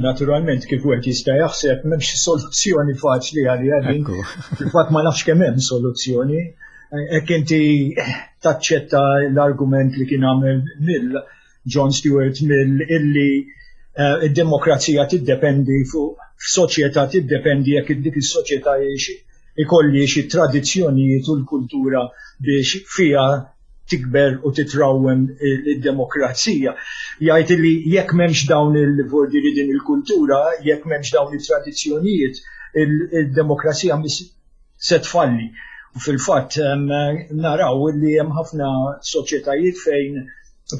Naturalment, kif wieħed jista' jaħseb m'hemmx soluzzjoni faċli għaliha din. Fil-fatt ma nafx kemm hemm soluzzjoni. Hekk inti taċċetta l-argument li kien għamel Mill, John Stuart Mill, illi id-demokrazija tiddependi fuq soċjetà, tiddependi jekk dik is-soċjetà ikolli xi tradizzjonijiet u l-kultura biex fiha tikber u titrawwem id-demokrazija. Jgħid li jekk m'hemmx dawn il-vordiri din il-kultura, jekk m'hemmx dawn it-tradizzjonijiet, il-demokrazija se tfalli. U fil-fatt naraw li hemm ħafna soċjetajiet fejn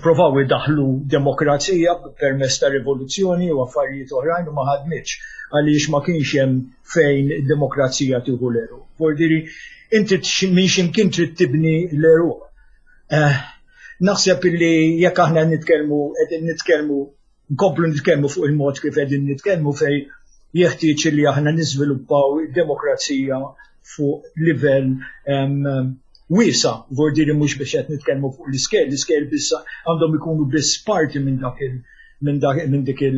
provaw idaħlu demokrazija permezz ta' rivoluzzjoni u affarijiet oħrajn u ma ħadmitx għaliex ma kienx hemm fejn id-demokrazija tieħu l-għeruq. Vordiri, inti minn x'imkien trid tibni l-għeruq. Naħseb illi jekk aħna nitkellmu qegħdin nitkellmu nkomplu nitkellmu fuq il-mod kif qegħdin nitkellmu fejn jeħtieġ li aħna niżviluppaw id-demokrazija fuq livell wiesa, vordiri mhux biex qed nitkellmu fuq l-iskejl, l-iskejl biss għandhom ikunu biss parti minn dak il minn dak minn dik il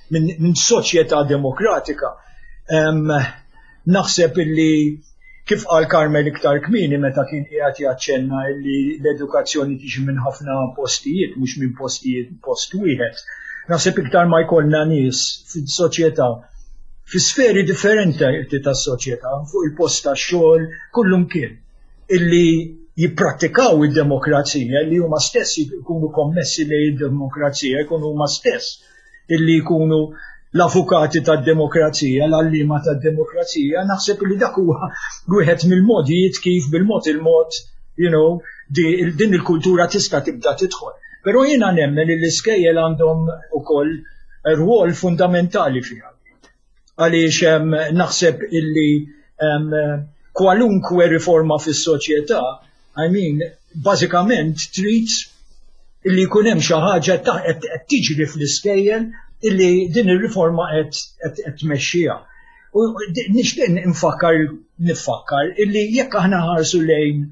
minn soċjetà demokratika. Naħseb illi Kif qal Carmel iktar kmieni meta kien qiegħed jaċċenna li l-edukazzjoni tiġi minn ħafna postijiet, mhux minn postijiet post wieħed. Naħseb iktar ma jkollna nies fis-soċjetà, fi sferi differenti tas-soċjetà, fuq il-post tax-xogħol, kullum kien, illi jipprattikaw id-demokrazija, li huma stess jkunu kommessi lejn id-demokrazija, jkunu huma stess illi jkunu l-avukati tad-demokrazija, l-għalliema tad-demokrazija, naħseb li dak huwa wieħed mill-modijiet kif bil-mod il-mod, you know, din il-kultura tista' tibda tidħol. Però jiena nemmen li l-iskejjel għandhom ukoll rwol fundamentali fiha. Għaliex naħseb illi kwalunkwe riforma fis-soċjetà, I mean, bażikament trid illi jkun hemm xi ħaġa qed tiġri fl-iskejjel illi din ir-riforma qed tmexxiha. U nixtieq nfakkar nifakkar illi jekk aħna ħarsu lejn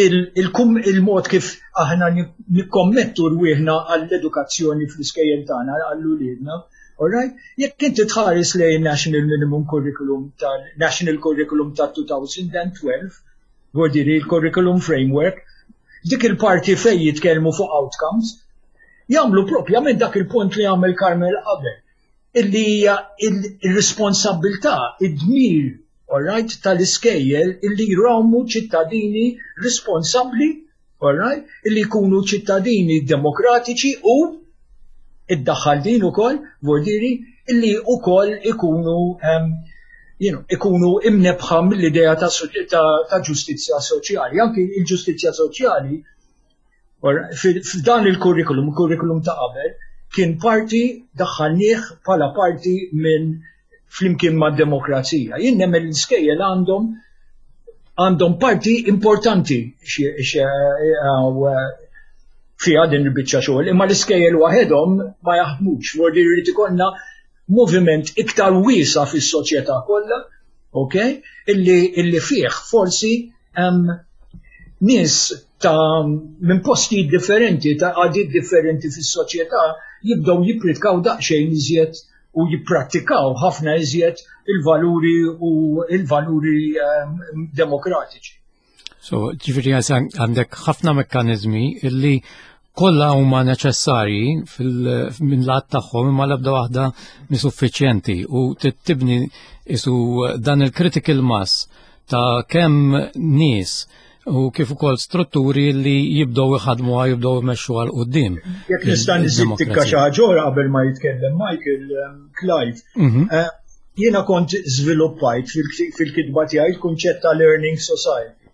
il-mod kif aħna nikkommettu rwieħna għall-edukazzjoni fl-iskejjel tagħna għall-uliedna, alright? Jekk inti tħares lejn National Minimum Curriculum tal-National Curriculum ta' elfejn u tnax, vuol il-Curriculum Framework, dik il-parti fej jitkellmu fuq outcomes, jagħmlu propjament dak il-punt li għamel Carmel qabel, illi hija il-responsabilità, id-dmir, alright, tal-iskejjel illi jrawmu ċittadini responsabbli, alright, illi jkunu ċittadini demokratiċi u iddaħħal din ukoll, vuol illi ukoll ikunu um, you know, ikunu imnebħa mill-idea ta', ta, ta ġustizzja soċjali. Anki il-ġustizzja soċjali f'dan il-kurrikulum, il-kurrikulum ta' qabel, kien parti daħħalnieh bħala parti minn flimkien ma' demokrazija. Jien nemmen l-iskejjel għandhom għandhom parti importanti fiha din il-biċċa xogħol, imma l-iskejjel waħedhom ma jaħdmux, vuol jrid ikollna moviment iktar wiesa fis-soċjetà kollha, ok? Illi, illi fih forsi um, nies ta' minn postijiet differenti, ta' għadiet differenti fis-soċjetà jibdew jippritkaw daqsxejn iżjed u jipprattikaw ħafna iżjed il-valuri u il-valuri um, demokratiċi. So, ġifieri għandek ħafna mekkanizmi illi kollha huma neċessarji minn lat tagħhom, imma l-ebda waħda mi suffiċjenti u tibni isu dan il-critical mass ta' kemm nies u kif ukoll strutturi li jibdew iħadmu, jibdew imexxu għal quddiem. Jekk nista' nżid tikka xi ħaġa qabel ma jitkellem Michael, um, Clive. Mhm. Eh, jiena kont żviluppajt fil-kitba tiegħi il-kunċett ta' learning society.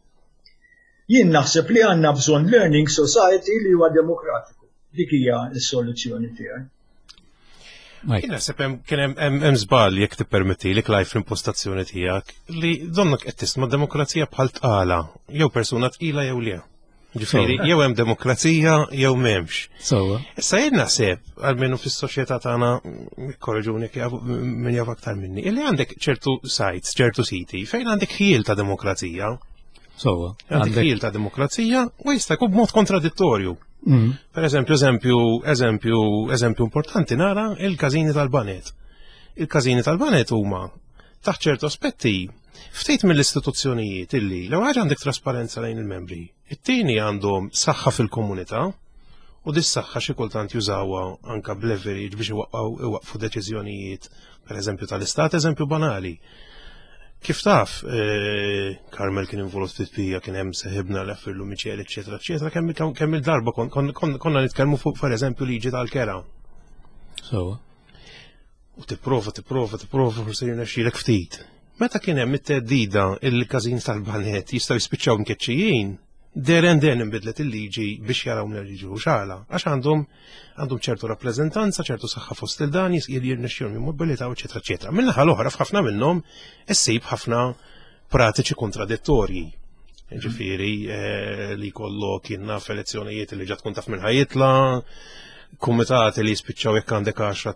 Jien naħseb li għandna bżonn learning society li huwa demokratiku. Dik hija s-soluzzjoni tiegħi. Jien naħseb kien hemm żball, jekk tippermetti li, Clive, fl-impostazzjoni tiegħek li donnok qed tisma' demokrazija bħal tqala, jew persuna tqila jew le. Ġifieri, jew hemm demokrazija jew m'hemmx. Issa jien naħseb, almenu fis-soċjetà tagħna, korreġuni min jaf aktar minni, illi għandek ċertu sites, ċertu siti fejn għandek ħjiel ta' demokrazija. Sowa. Għandek ħjiel ta' demokrazija u jista' jkun b'mod kontradittorju. Mm. Per eżempju, eżempju, eżempju, eżempju importanti nara il-każini tal-baned. Il-każini tal-baned huma taħt ċertu aspetti ftit mill-istituzzjonijiet illi l ħaġa għandek trasparenza lejn il-membri. It-tieni, għandhom saħħa fil-komunità u dis saħħa xi kultant jużawha anka b'leverage biex iwaqqfu deċiżjonijiet, per eżempju tal-istat, eżempju banali. Kif taf, eh, Carmel kien involut fit-pija, kien hemm seħibna l-Affirlu Miċel, eċetera, eċetera, kemm kemm il-darba konna nitkellmu fuq, per eżempju, liġi tal-kera. So. U tipprova, tipprova, tipprova, forsi jirnexxielek ftit. Meta kien hemm it-teddida il-każin tal-baned jistgħu jispiċċaw mkeċċijin, there and then inbidlet il-liġi biex jaraw mill liġi xala. Għax għandhom għandhom ċertu rappreżentanza, ċertu saħħa fost il-dan, jirnexxihom jimmobilitaw, eċetera, eċetera. Min-naħa l-oħra, f'ħafna minnhom issib ħafna pratiċi kontradittorji. Ġifieri eh, li kollok kien naf elezzjonijiet li ġa tkun taf minn ħa jitla', kumitati li jispiċċaw jekk għandek għaxra,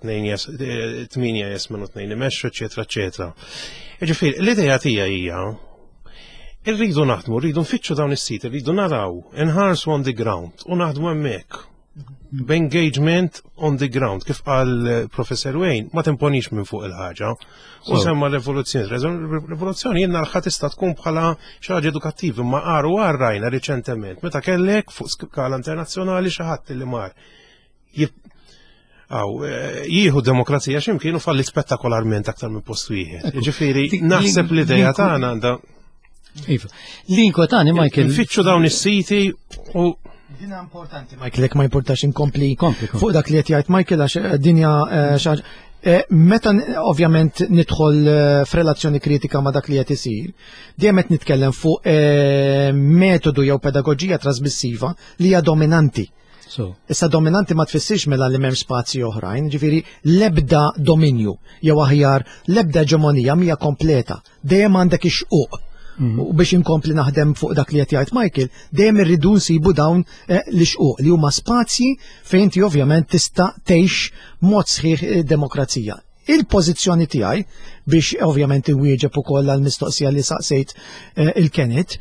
tmienja jesmenu tnejn imexxu, eċetera, eċetera. Ġifieri, l-idea tiegħi hija irridu naħdmu, rridu nfittxu dawn is-sit, irridu naraw, inħarsu on the ground u naħdmu hemmhekk. B'engagement on the ground, kif qal eh, Professor Wayne, ma timponix minn fuq il-ħaġa. U semma l-evoluzzjoni. Rivoluzzjoni jenna l tista' tkun bħala xi ħaġa edukattiva, ma qaru rajna riċentement, meta kellek fuq skala internazzjonali xi ħadd li mar Aw, eh, jieħu demokrazija x'imkien u falli spettakolarment aktar minn post wieħed. Ġifieri, naħseb l-idea tagħna għandha. Iva. Li inkwetani, Michael. Nfittxu dawn is-siti u Dina importanti, Michael, jekk ma importax inkompli fuq dak li qed jgħid Michael, għax eh, dinja eh, xaġ. Meta ovvjament nidħol f'relazzjoni kritika ma' dak li qed isir, dejjem qed nitkellem fuq metodu jew pedagoġija trasmissiva li hija dominanti. So. Issa dominanti ma tfissirx mela li m'hemm spazji oħrajn, ġifieri l-ebda dominju jew aħjar l-ebda eġemonija mija kompleta. Dejjem għandek ix-xquq. Mm. U biex inkompli naħdem fuq dak li qed jgħid Michael, dejjem irridu nsibu dawn eh, l-xquq li huma spazji fejn inti ovvjament tista' tgħix mod sħiħ eh, demokrazija. Il-pożizzjoni tiegħi biex ovvjament iwieġeb ukoll għal mistoqsija li saqsejt eh, il-Kenneth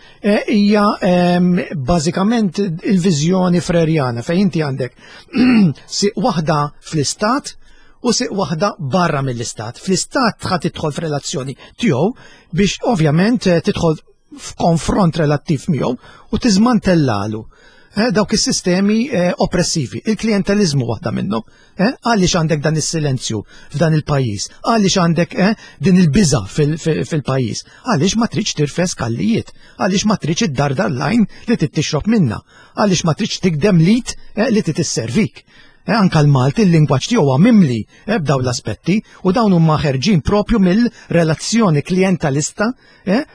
hija ehm, bażikament il-viżjoni frerjana fejn inti għandek siq waħda fl-istat u siq waħda barra mill-istat. Fl-istat ħa tidħol f'relazzjoni tiegħu biex ovvjament eh, tidħol f'konfront relattiv miegħu u tiżmantellalu eh, dawk is-sistemi eh, oppressivi. Il-klientelizmu waħda minnhom. Għaliex għandek dan is-silenzju f'dan il-pajjiż? Għaliex għandek din il-biża fil-pajjiż? Għaliex ma tridx tirfes kallijiet? Għaliex ma tridx id-dardar lajn li tixrob minna? Għaliex ma tridx tikdem lit li titisservik? Anka l-Malti, il-lingwaġġ tiegħu huwa mimli b'daw l-aspetti u dawn huma ħerġin propju mill-relazzjoni klientalista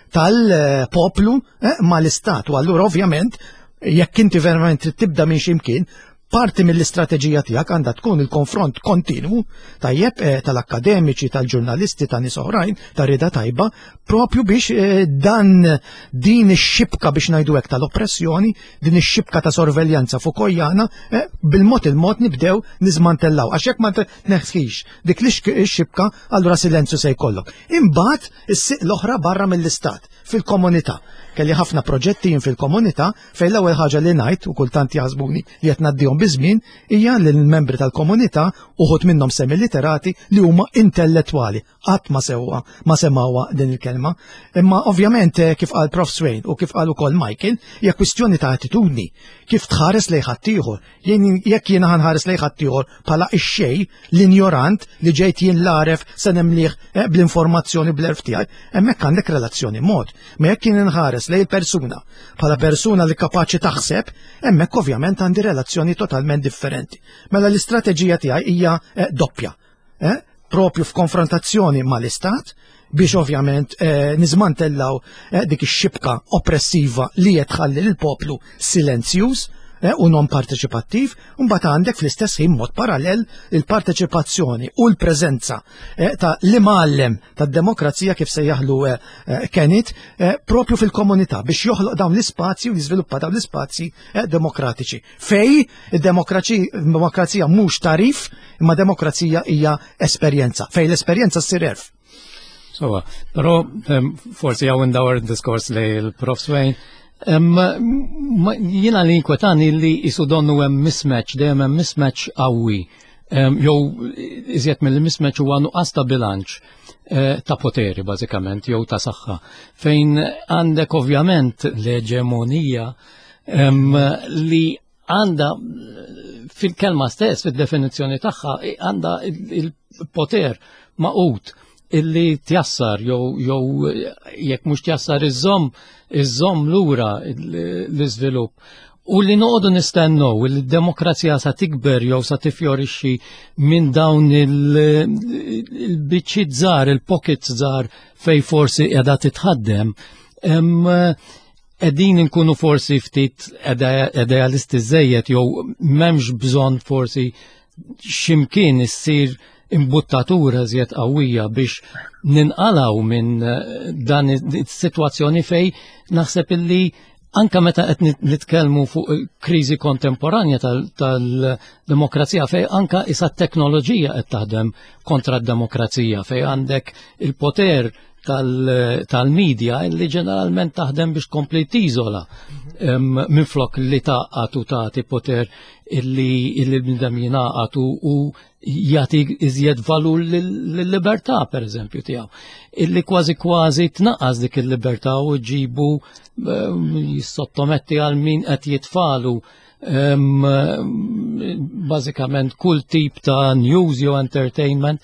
tal-poplu mal-istat. U allura ovvjament jekk inti verament trid tibda minn ximkien, parti mill-istrateġija tiegħek għandha tkun il-konfront kontinwu, tajjeb, eh, tal-akkademiċi, tal-ġurnalisti, ta' nies oħrajn, ta' rida tajba, propju biex eh, dan din ix-xibka, biex ngħidu hekk, tal-oppressjoni, din ix-xibka ta' sorveljanza Foucaultjana, eh, bil-mod il-mod nibdew niżmantellaw. Għax jekk ma tneħħix dik l-xibka, allura silenzju se jkollok. Imbagħad is-siq l-oħra barra mill-istat, fil-komunità. Kelli ħafna proġetti jien fil-komunità fejn l-ewwel ħaġa li ngħid, u kultant jaħsbuni li qed ngħaddihom biżmien, hija li l-membri tal-komunità, uħud minnhom semi-literati, li huma intellettwali. Qatt ma sewwa ma semawha din il-kelma. Imma ovvjament eh, kif qal Professor Swain u kif qal ukoll Michael, hija kwistjoni ta' attitudni. Kif tħares lejn ħaddieħor. Jekk jiena ħanħares lejn ħaddieħor bħala ix-xej, l-injorant li ġejt jien l-għaref se nemliħ eh, bl-informazzjoni, bl-għerf tiegħi, hemmhekk għandek relazzjoni mod. Ma jekk jien inħares lejn persuna bħala persuna li kapaċi taħseb, hemmhekk ovvjament għandi relazzjoni totalment differenti. Mela l-istrateġija tiegħi hija eh, doppja. Eh? Propju f'konfrontazzjoni mal-istat biex ovvjament eh, niżmantellaw eh, dik ix-xibka oppressiva li qed tħalli lill-poplu silenzjuż eh, u non parteċipattiv, u mbagħad għandek fl-istess ħin mod parallel il-parteċipazzjoni u l-preżenza eh, ta' l-imgħallem tad-demokrazija, kif sejjaħlu eh, eh, Kenneth, eh, propju fil-komunità biex joħloq dawn l-ispazji u jiżviluppa dawn l-ispazji eh, demokratiċi. Fej id-demokrazija mhux tarif, imma demokrazija hija esperjenza, fej l-esperjenza ssir għerf. Sowa, però forsi hawn indawar diskors li l-Professor Swain. Jiena li inkwetani li jisu donnu hemm mismatch, dejjem hemm mismatch qawwi. Jew iżjed mill-mismatch huwa nuqqas ta' bilanċ eh, ta' poteri bażikament jew ta' saħħa. Fejn għandek ovvjament l-eġemonija li għandha fil-kelma stess, fil-definizzjoni tagħha, għandha il-poter maqut illi tjassar jew jew jekk mhux tjassar iżomm iżomm lura l-iżvilupp. U li noqogħdu nistennew li d-demokrazija sa tikber jew sa tifjorixxi minn dawn il-biċċiet żgħar, il-pockets żgħar fej forsi qiegħda titħaddem, qegħdin inkunu forsi ftit idealisti żejjed jew m'hemmx bżonn forsi x'imkien issir imbuttatura żjed qawwija biex ninqalaw minn dan is-sitwazzjoni fej naħseb illi anka meta qed nitkellmu fuq kriżi kontemporanja tal-demokrazija fej anka issa t-teknoloġija qed taħdem kontra d-demokrazija, fej għandek il-poter tal-medja illi ġeneralment taħdem biex tkompli tiżola Minflok li tgħaqqad u tagħti poter illi l-bniedem jingħaqad u jagħti iżjed valur lill-libertà, per eżempju, tiegħu. Illi kważi kważi tnaqqas dik il-libertà u ġibu jissottometti għal min qed jitfalu bażikament kull tip ta' news jew entertainment.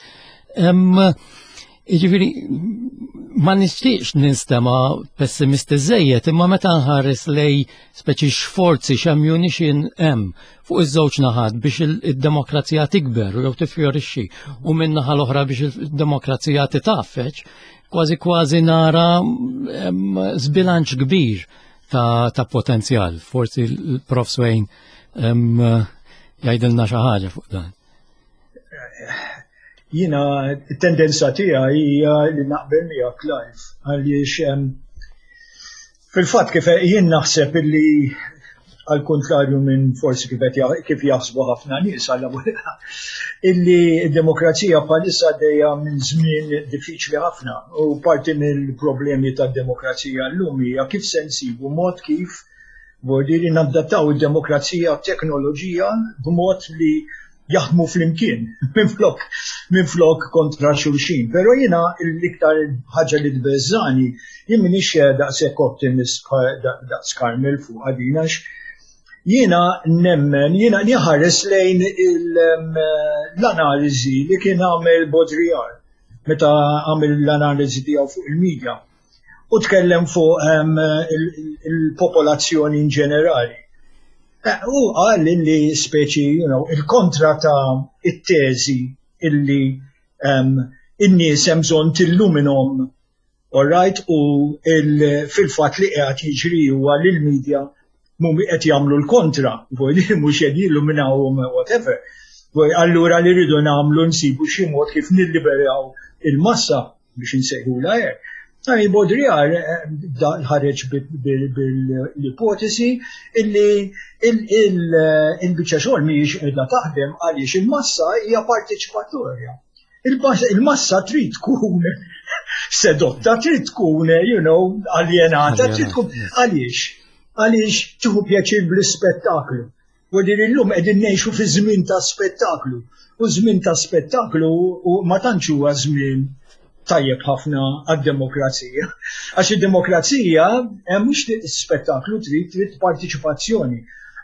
Jiġifieri, ma nixtieqx ninstema pessimisti żejjed, imma meta nħares lej speċi xforzi, x'ammunition hemm fuq iż-żewġ naħat biex id-demokrazija tikber jew tifjorixxi u minn naħa l-oħra biex id-demokrazija titgħaffeġ, kważi kważi nara żbilanċ kbir ta', ta potenzjal. Forsi l-Prof Swain jgħidilna xi ħaġa fuq dan. Jiena tendenza tiegħi hija li naqbel miegħek, Clive, għaliex fil-fatt kif jien naħseb illi, għal kontrarju minn forsi kif kif jaħsbu ħafna nies, għalla illi d-demokrazija bħalissa għaddejja minn żmien diffiċli ħafna u parti mill-problemi tad-demokrazija llum hija kif se nsibu mod kif vuol nadattaw id-demokrazija teknoloġija b'mod li jaħdmu flimkien, minflok, minflok kontra xulxin. Pero jiena l-iktar ħaġa li tbeżżani, jien minix daqshekk optimist daqs Carmel fuq din, għax jiena nemmen, jiena nħares lejn l-analiżi li kien għamel Baudrillard meta għamel l-analiżi tiegħu fuq il-medja u tkellem fuq il-popolazzjoni in ġenerali. U qal li speċi, you know, il-kontra ta' it-teżi illi in-nies hemm bżonn tilluminhom, all right, u fil-fatt li qiegħed jiġri huwa li l-medja mhumi qed jagħmlu l-kontra, mhux qed jilluminawhom, whatever. Allura li rridu nagħmlu, nsibu xi mod kif nilliberaw il-massa, biex insejħula hekk. Għani Baudrillard ħareġ bil-ipotesi illi il-biċċa xogħol mhijiex qiegħda taħdem għaliex il-massa hija parteċipatorja. Il-massa trid tkun sedotta, trid tkun, you know, aljenata, trid tkun għaliex? Għaliex tieħu pjaċir bl-ispettaklu. U din illum qegħdin ngħixu fi żmien ta' spettaklu. U żmien ta' spettaklu u ma tantx huwa żmien tajjeb ħafna għad-demokrazija. Għax id-demokrazija hemm mhux spettaklu trid, trid partiċipazzjoni.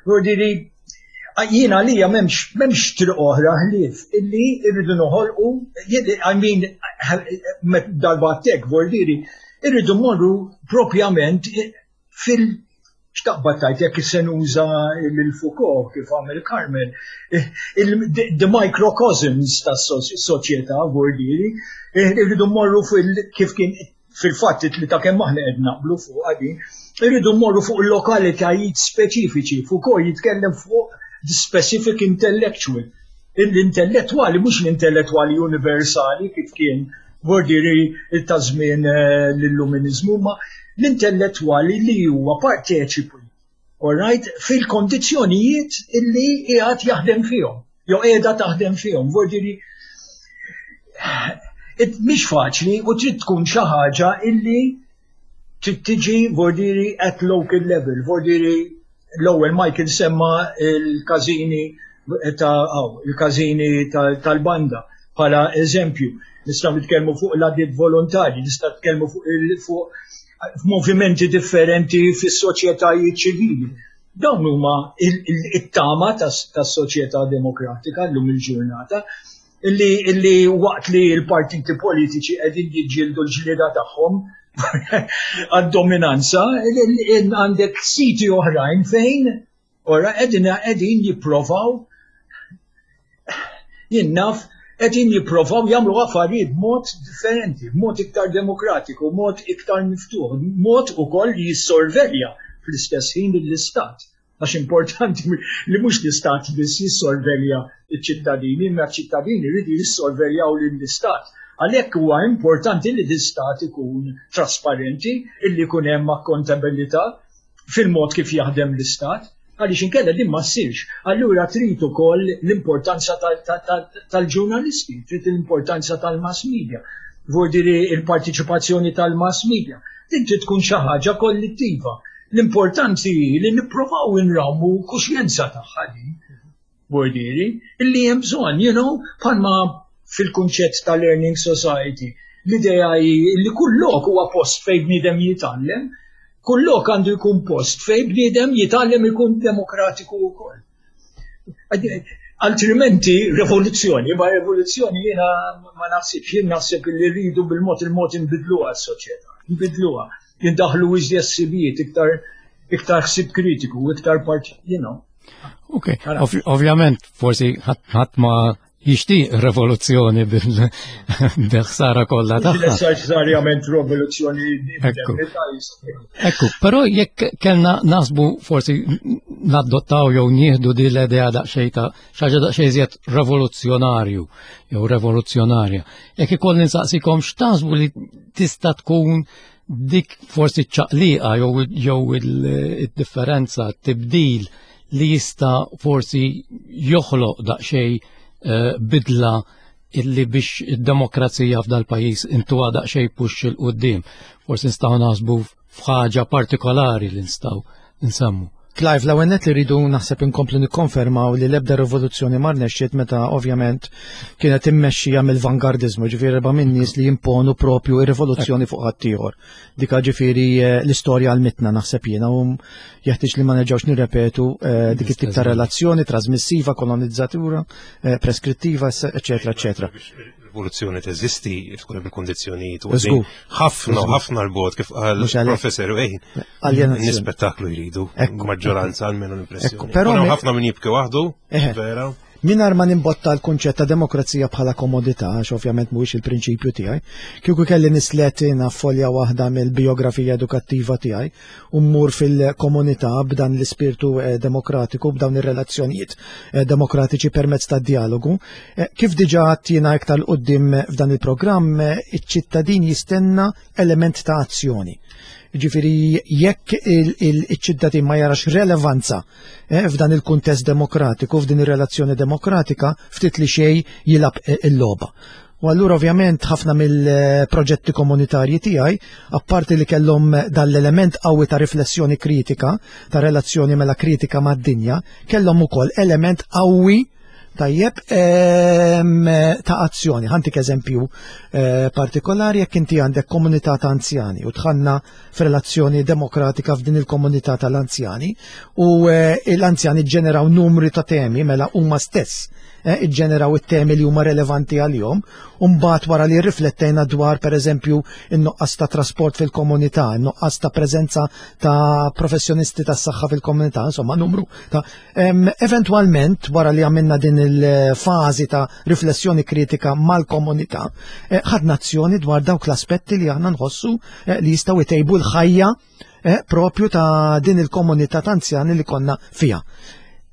Vuol jiena li m'hemmx m'hemmx triq oħra ħlief illi irridu noħolqu, I mean, darba tek vuol irridu mmorru propjament fil- xtaqbad tajt jekk se nuża l-Foucault kif għamel Carmel, the microcosms tas-soċjetà, vuol irridu mmorru fil kif kien fil-fatt li ta' kemm aħna qed naqblu fuq għadin, irridu mmorru fuq il-lokalitajiet speċifiċi. Foucault jitkellem fuq the specific intellectual. L-intellettuali, mhux l-intellettuali universali kif kien vuol ta' żmien eh, l-illuminizmu, ma l-intellettuali li huwa parteċipi, all right, fil-kondizzjonijiet illi qiegħed jaħdem fihom, jew qiegħda taħdem fihom. Vuol mhix faċli u trid tkun xi ħaġa illi trid tiġi vuol at local level. Vuol l-ewwel Michael semma il-każini ta' il-każini tal-banda bħala eżempju. Nistgħu nitkellmu fuq l-għaqdiet volontarji, nistgħu nitkellmu fuq fuq movimenti differenti fis-soċjetajiet ċivili. Dawn huma it-tama tas-soċjetà demokratika llum il-ġurnata, illi illi waqt li l-partiti politiċi qegħdin jiġġieldu l-ġlieda tagħhom għad-dominanza, għandek siti oħrajn fejn ora qegħdin qegħdin jipprovaw, jien naf, qegħdin jipprovaw jagħmlu affarijiet b'mod differenti, b'mod iktar demokratiku, mod iktar miftuħ, mod ukoll li jissorvelja fl-istess ħin l-istat. Għax importanti li mhux l-istat biss jissorvelja ċ-ċittadini, imma ċ-ċittadini jridu jissorveljaw lill-istat. Għalhekk huwa importanti li l-istat ikun trasparenti, illi jkun hemm akkontabilità fil-mod kif jaħdem l-istat, għaliex inkella din ma ssirx. Allura trid ukoll l-importanza tal-ġurnalisti, trid l-importanza tal-mass media, vuol dire il-partiċipazzjoni tal-mass media. Din trid tkun xi ħaġa kollettiva. L-importanti hi li nipprovaw inrawmu kuxjenza tagħha din. Bordiri, illi hemm bżonn, you know, bħalma fil-kunċett ta' Learning Society. L-idea hi li kull lok huwa post fejn bniedem jitgħallem, kull lok għandu jkun post fejn bniedem jitgħallem ikun demokratiku wkoll. Altrimenti revoluzzjoni, ma revoluzzjoni jiena ma naħsibx, jien naħseb li rridu bil-mod il-mod nbidluha s-soċjetà, nbidluha, jindaħlu iżjed ħsibijiet, iktar iktar ħsieb kritiku, iktar part, you know. Ok, ovvjament forsi ħadd ma jixtieq revoluzzjoni bil-ħsara kollha tagħha. Neċessarjament rivoluzzjoni. Ekku. Ekku, però jekk kellna nasbu forsi nadottaw jew nieħdu din l-idea daqsxejn ta' xi ħaġa daqsxejn iżjed revoluzzjonarju jew revoluzzjonarja. Jekk ikolli nsaqsikom x'taħsbu li tista' tkun dik forsi ċaqliqa jew jew il-differenza, tibdil li jista' forsi joħloq daqsxejn eh, bidla illi biex id-demokrazija f'dal pajjiż intuha daqsxejn push 'il quddiem. Forsi nistgħu naħsbu f'ħaġa partikolari li nistgħu nsemmu. Clive, l nett li rridu naħseb inkomplu nikkonfermaw li l-ebda rivoluzzjoni ma rnexxiet meta ovvjament kienet immexxija mill-vangardizmu, ġifieri erba' minn nies li jimponu propju ir-rivoluzzjoni fuq ħaddieħor. Dika ġifieri eh, l-istorja għallmitna, naħseb jiena, u jeħtieġ li ma nerġgħux nirrepetu eh, dik it-tip ta' relazzjoni trasmissiva, kolonizzatura, eh, preskrittiva, eċetera, eċetera. Rivoluzzjoni teżisti tkun bil-kondizzjonijiet u Żgur. ħafna ħafna l-bogħod kif qal Mhux għalhekk. Professor Wayne. Aljenazzjoni. Nispettaklu jridu, Ekku. maġġoranza almenu l-impressjoni. Ekku, però Però mi- ħafna min jibki waħdu, Eħe. vera. Mingħajr ma nimbotta l-kunċett ta' demokrazija bħala komodità, għax ovvjament mhuwiex il-prinċipju tiegħi, kieku kelli nislet jiena folja waħda mill-biografija edukattiva tiegħi u mmur fil-komunità b'dan l-ispirtu eh, demokratiku, b'dawn ir-relazzjonijiet eh, demokratiċi permezz ta' dialogu. Eh, Kif diġà jiena iktar 'l quddiem f'dan il-programm, eh, iċ-ċittadin jistenna element ta' azzjoni. Ġifiri, jekk il-ċittadin ma jarax relevanza eh, f'dan il-kuntest demokratiku, f'din ir-relazzjoni demokratika, ftit li xej jilgħab eh, il-logħba. U allura ovvjament ħafna mill-proġetti komunitarji tiegħi, apparti li kellhom dal-element qawwi ta' riflessjoni kritika, ta' relazzjoni mela kritika mad-dinja, kellhom ukoll element qawwi, tajjeb, ehm, ta' azzjoni. Ħa ntik eżempju eh, partikolari: jekk inti għandek komunità ta' anzjani u dħalna f'relazzjoni demokratika f'din il-komunità tal-anzjani u eh, l-anzjani ġeneraw numri ta' temi, mela huma stess eh, iġġeneraw it-temi li huma relevanti għalihom, u mbagħad wara li rriflettejna dwar, pereżempju, in-nuqqas ta' trasport fil-komunità, in-nuqqas ta' preżenza ta' professjonisti tas-saħħa fil-komunità, insomma numru ta' em, eventwalment wara li għamilna din il-fażi ta' riflessjoni kritika mal-komunità, eh, ħadna azzjoni dwar dawk l-aspetti li aħna nħossu eh, li jistgħu jtejbu l-ħajja eh, propju ta' din il-komunità ta' anzjani li konna fija.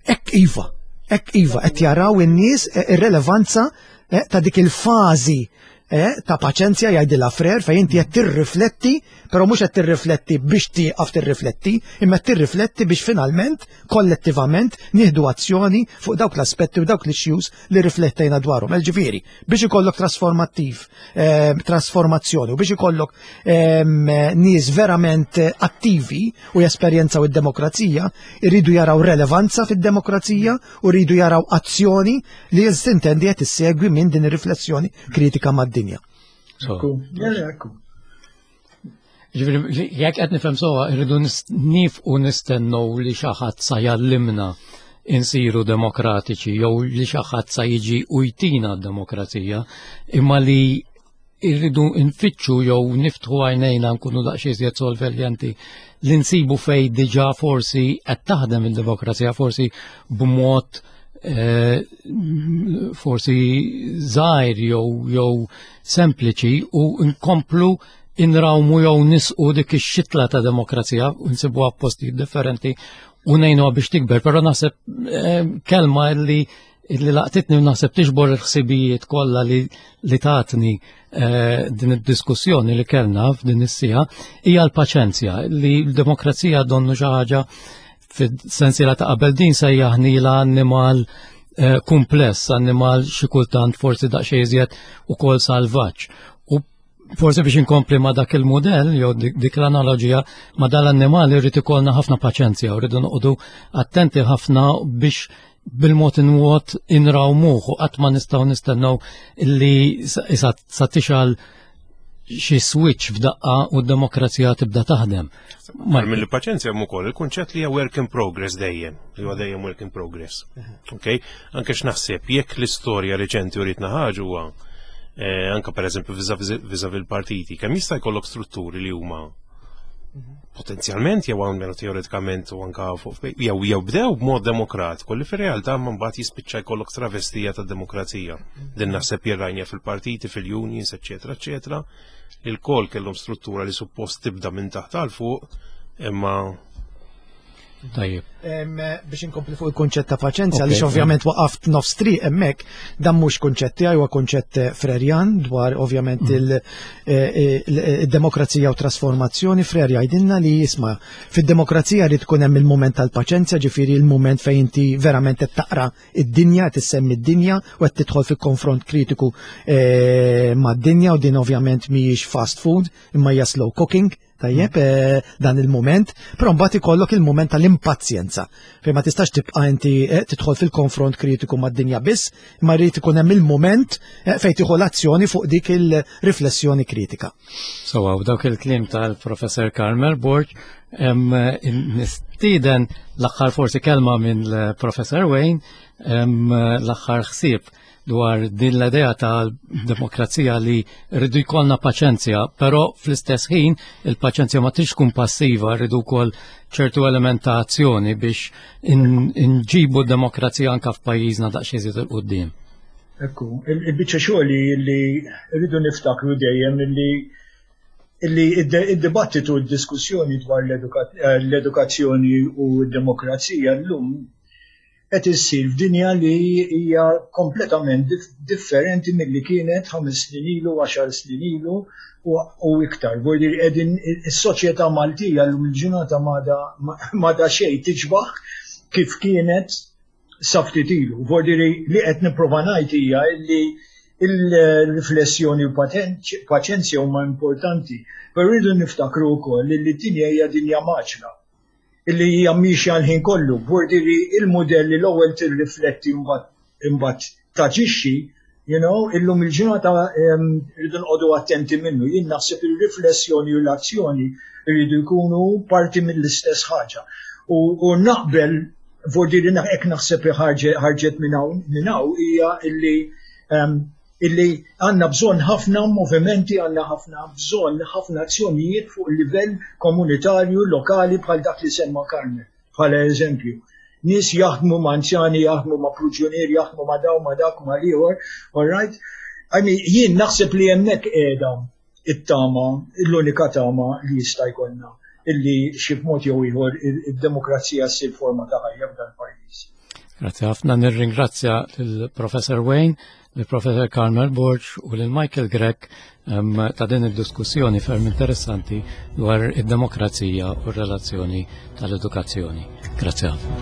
Ek iva, ek iva, qed jaraw in-nies eh, ir-relevanza eh, ta' dik il-fażi eh, ta' paċenzja, jgħidilha Freire, fejn inti qed tirrifletti, però mhux qed tirrifletti biex tieqaf tirrifletti, imma tirrifletti biex finalment kollettivament nieħdu azzjoni fuq dawk l-aspetti u dawk l-issues li riflettejna dwarhom. Ġifieri, biex ikollok trasformattiv, eh, trasformazzjoni u biex ikollok em, nies verament attivi u jesperjenzaw id-demokrazija, irridu jaraw relevanza fid-demokrazija u rridu jaraw azzjoni li jintendi qed issegwi minn din ir-riflessjoni kritika mad-dinja. So, Ekku, ekku. Ġifieri, jekk qed nifhem sewwa, irridu nifqu nistennew li xi ħadd sa jgħallimna insiru demokratiċi jew li xi ħadd sa jiġi u jtina d-demokrazija, imma li irridu nfittxu jew niftħu għajnejna, nkunu daqsxejn iżjed sorveljanti li nsibu fej diġà forsi qed taħdem il-demokrazija, forsi b'mod eh, forsi żgħir jew jew sempliċi, u nkomplu inrawmu jew nisqu dik ix-xitla ta' demokrazija u nsibuha postijiet differenti u ngħinuha biex tikber, però naħseb eh, kelma li illi laqtitni u naħseb tiġbor il-ħsibijiet kollha li, li tatni eh, din id-diskussjoni li kellna f'din is-siegħa hija l-paċenzja, li l-demokrazija donnu xi ħaġa fis-sensiela ta' qabel din sejjaħnila annimal eh, kumpless, annimal xi kultant forsi daqsxejn iżjed ukoll salvaġġ. U Forsi biex inkompli ma dak il-modell, jew dik l-analogija, ma dal-annimali rrid ikollna ħafna paċenzja u rridu noqogħdu attenti ħafna biex bil-mod inwot inrawmuh u qatt ma nistgħu nistennew illi sa tixgħal xi switch f'daqqa u d-demokrazija tibda taħdem. Mill paċenzja hemm ukoll il-kunċett li hija work in progress dejjem, li huwa dejjem work in progress. Okay? Anke x'naħseb jekk l-istorja reċenti uritna ħaġa huwa eh, anke pereżempju vis-à-vis il-partiti, kemm jista' jkollok strutturi li huma potenzjalment jew almenu teoretikament u anka fuq jew jew bdew b'mod demokratiku li fir-realtà ma mbagħad jispiċċa jkollok travestija tad-demokrazija. Din naħseb jirrajnja fil-partiti, fil-unions, eċetera, eċetera. Il-kol kellhom struttura li suppost tibda minn taħt għal fuq, imma Tajjeb. Biex inkompli fuq il-kunċett ta' paċenzja, għaliex ovvjament waqaft nofs triq hemmhekk, dan mhux kunċett tiegħi, huwa kunċett Frerjan dwar ovvjament il-demokrazija u trasformazzjoni. Frere jgħidilna li jisma' fid-demokrazija li tkun hemm il-mument tal-paċenzja, ġifieri il-mument fejn inti verament qed taqra id-dinja, qed issemmi d-dinja u qed tidħol fil-konfront kritiku mad-dinja, u din ovvjament mhijiex fast food imma hija slow cooking. Tajjeb, dan il-moment, però mbagħad ikollok il-moment tal-impazjenza. Fejn ma tistax tibqa' inti tidħol fil-konfront kritiku mad-dinja biss, imma jrid ikun hemm il-moment fejn tieħu l-azzjoni fuq dik il-riflessjoni kritika. So, u dawk il-kliem tal-Professor Carmel Borg, nistieden l-aħħar forsi kelma minn l-Professor Wayne, l-aħħar ħsieb dwar din l-idea tal-demokrazija li rridu jkollna paċenzja, però fl-istess ħin il-paċenzja ma tix tkun passiva, rridu wkoll ċertu element ta' azzjoni biex nġibu d-demokrazija anka f'pajjiżna daqsxejn iżjed 'il quddiem. Ekku, il-biċċa xogħol li rridu niftakru dejjem li illi id-dibattitu u d-diskussjoni dwar l-edukazzjoni u d-demokrazija llum qed issir f'dinja li hija kompletament differenti milli kienet ħames snin ilu, għaxar snin ilu u iktar. Vuol qegħdin is-soċjetà Maltija llum il-ġurnata m'għadha xejn tiġbaħ kif kienet sa ftit ilu. Vuol li qed nipprova ngħid hija li il-riflessjoni u paċenzja huma importanti, però rridu niftakru wkoll li d-dinja hija dinja maċla illi hija miexja l-ħin kollu. Vuol il-modell li l-ewwel tirrifletti mbagħad taġixxi, you know, illum il-ġurnata rridu nqogħdu attenti minnu. Jien naħseb il-riflessjoni u l-azzjoni rridu jkunu parti mill-istess ħaġa. U naqbel, vuol hekk naħseb ħarġet minn hawn hija illi illi għandna bżonn ħafna movimenti, għandna ħafna bżonn ħafna azzjonijiet fuq il-livell komunitarju, lokali bħal dak li semma Carmel, bħala eżempju. Nies jaħdmu ma' anzjani, jaħdmu ma' pruġunieri, jaħdmu ma' daw, ma' dak, ma' l-ieħor, all right? I mean, jien naħseb li hemmhekk qiegħda it-tama, l-unika tama li jista' jkollna illi xi mod jew ieħor id-demokrazija ssir forma ta' ħajja f'dan pajjiż. Grazie ħafna, nirringrazzja lill-Professor Wayne, lill-Professor Carmel Borg u lil Michael Grech ta' din id-diskussjoni ferm interessanti dwar id-demokrazija u r-relazzjoni tal-edukazzjoni. Grazie ħafna.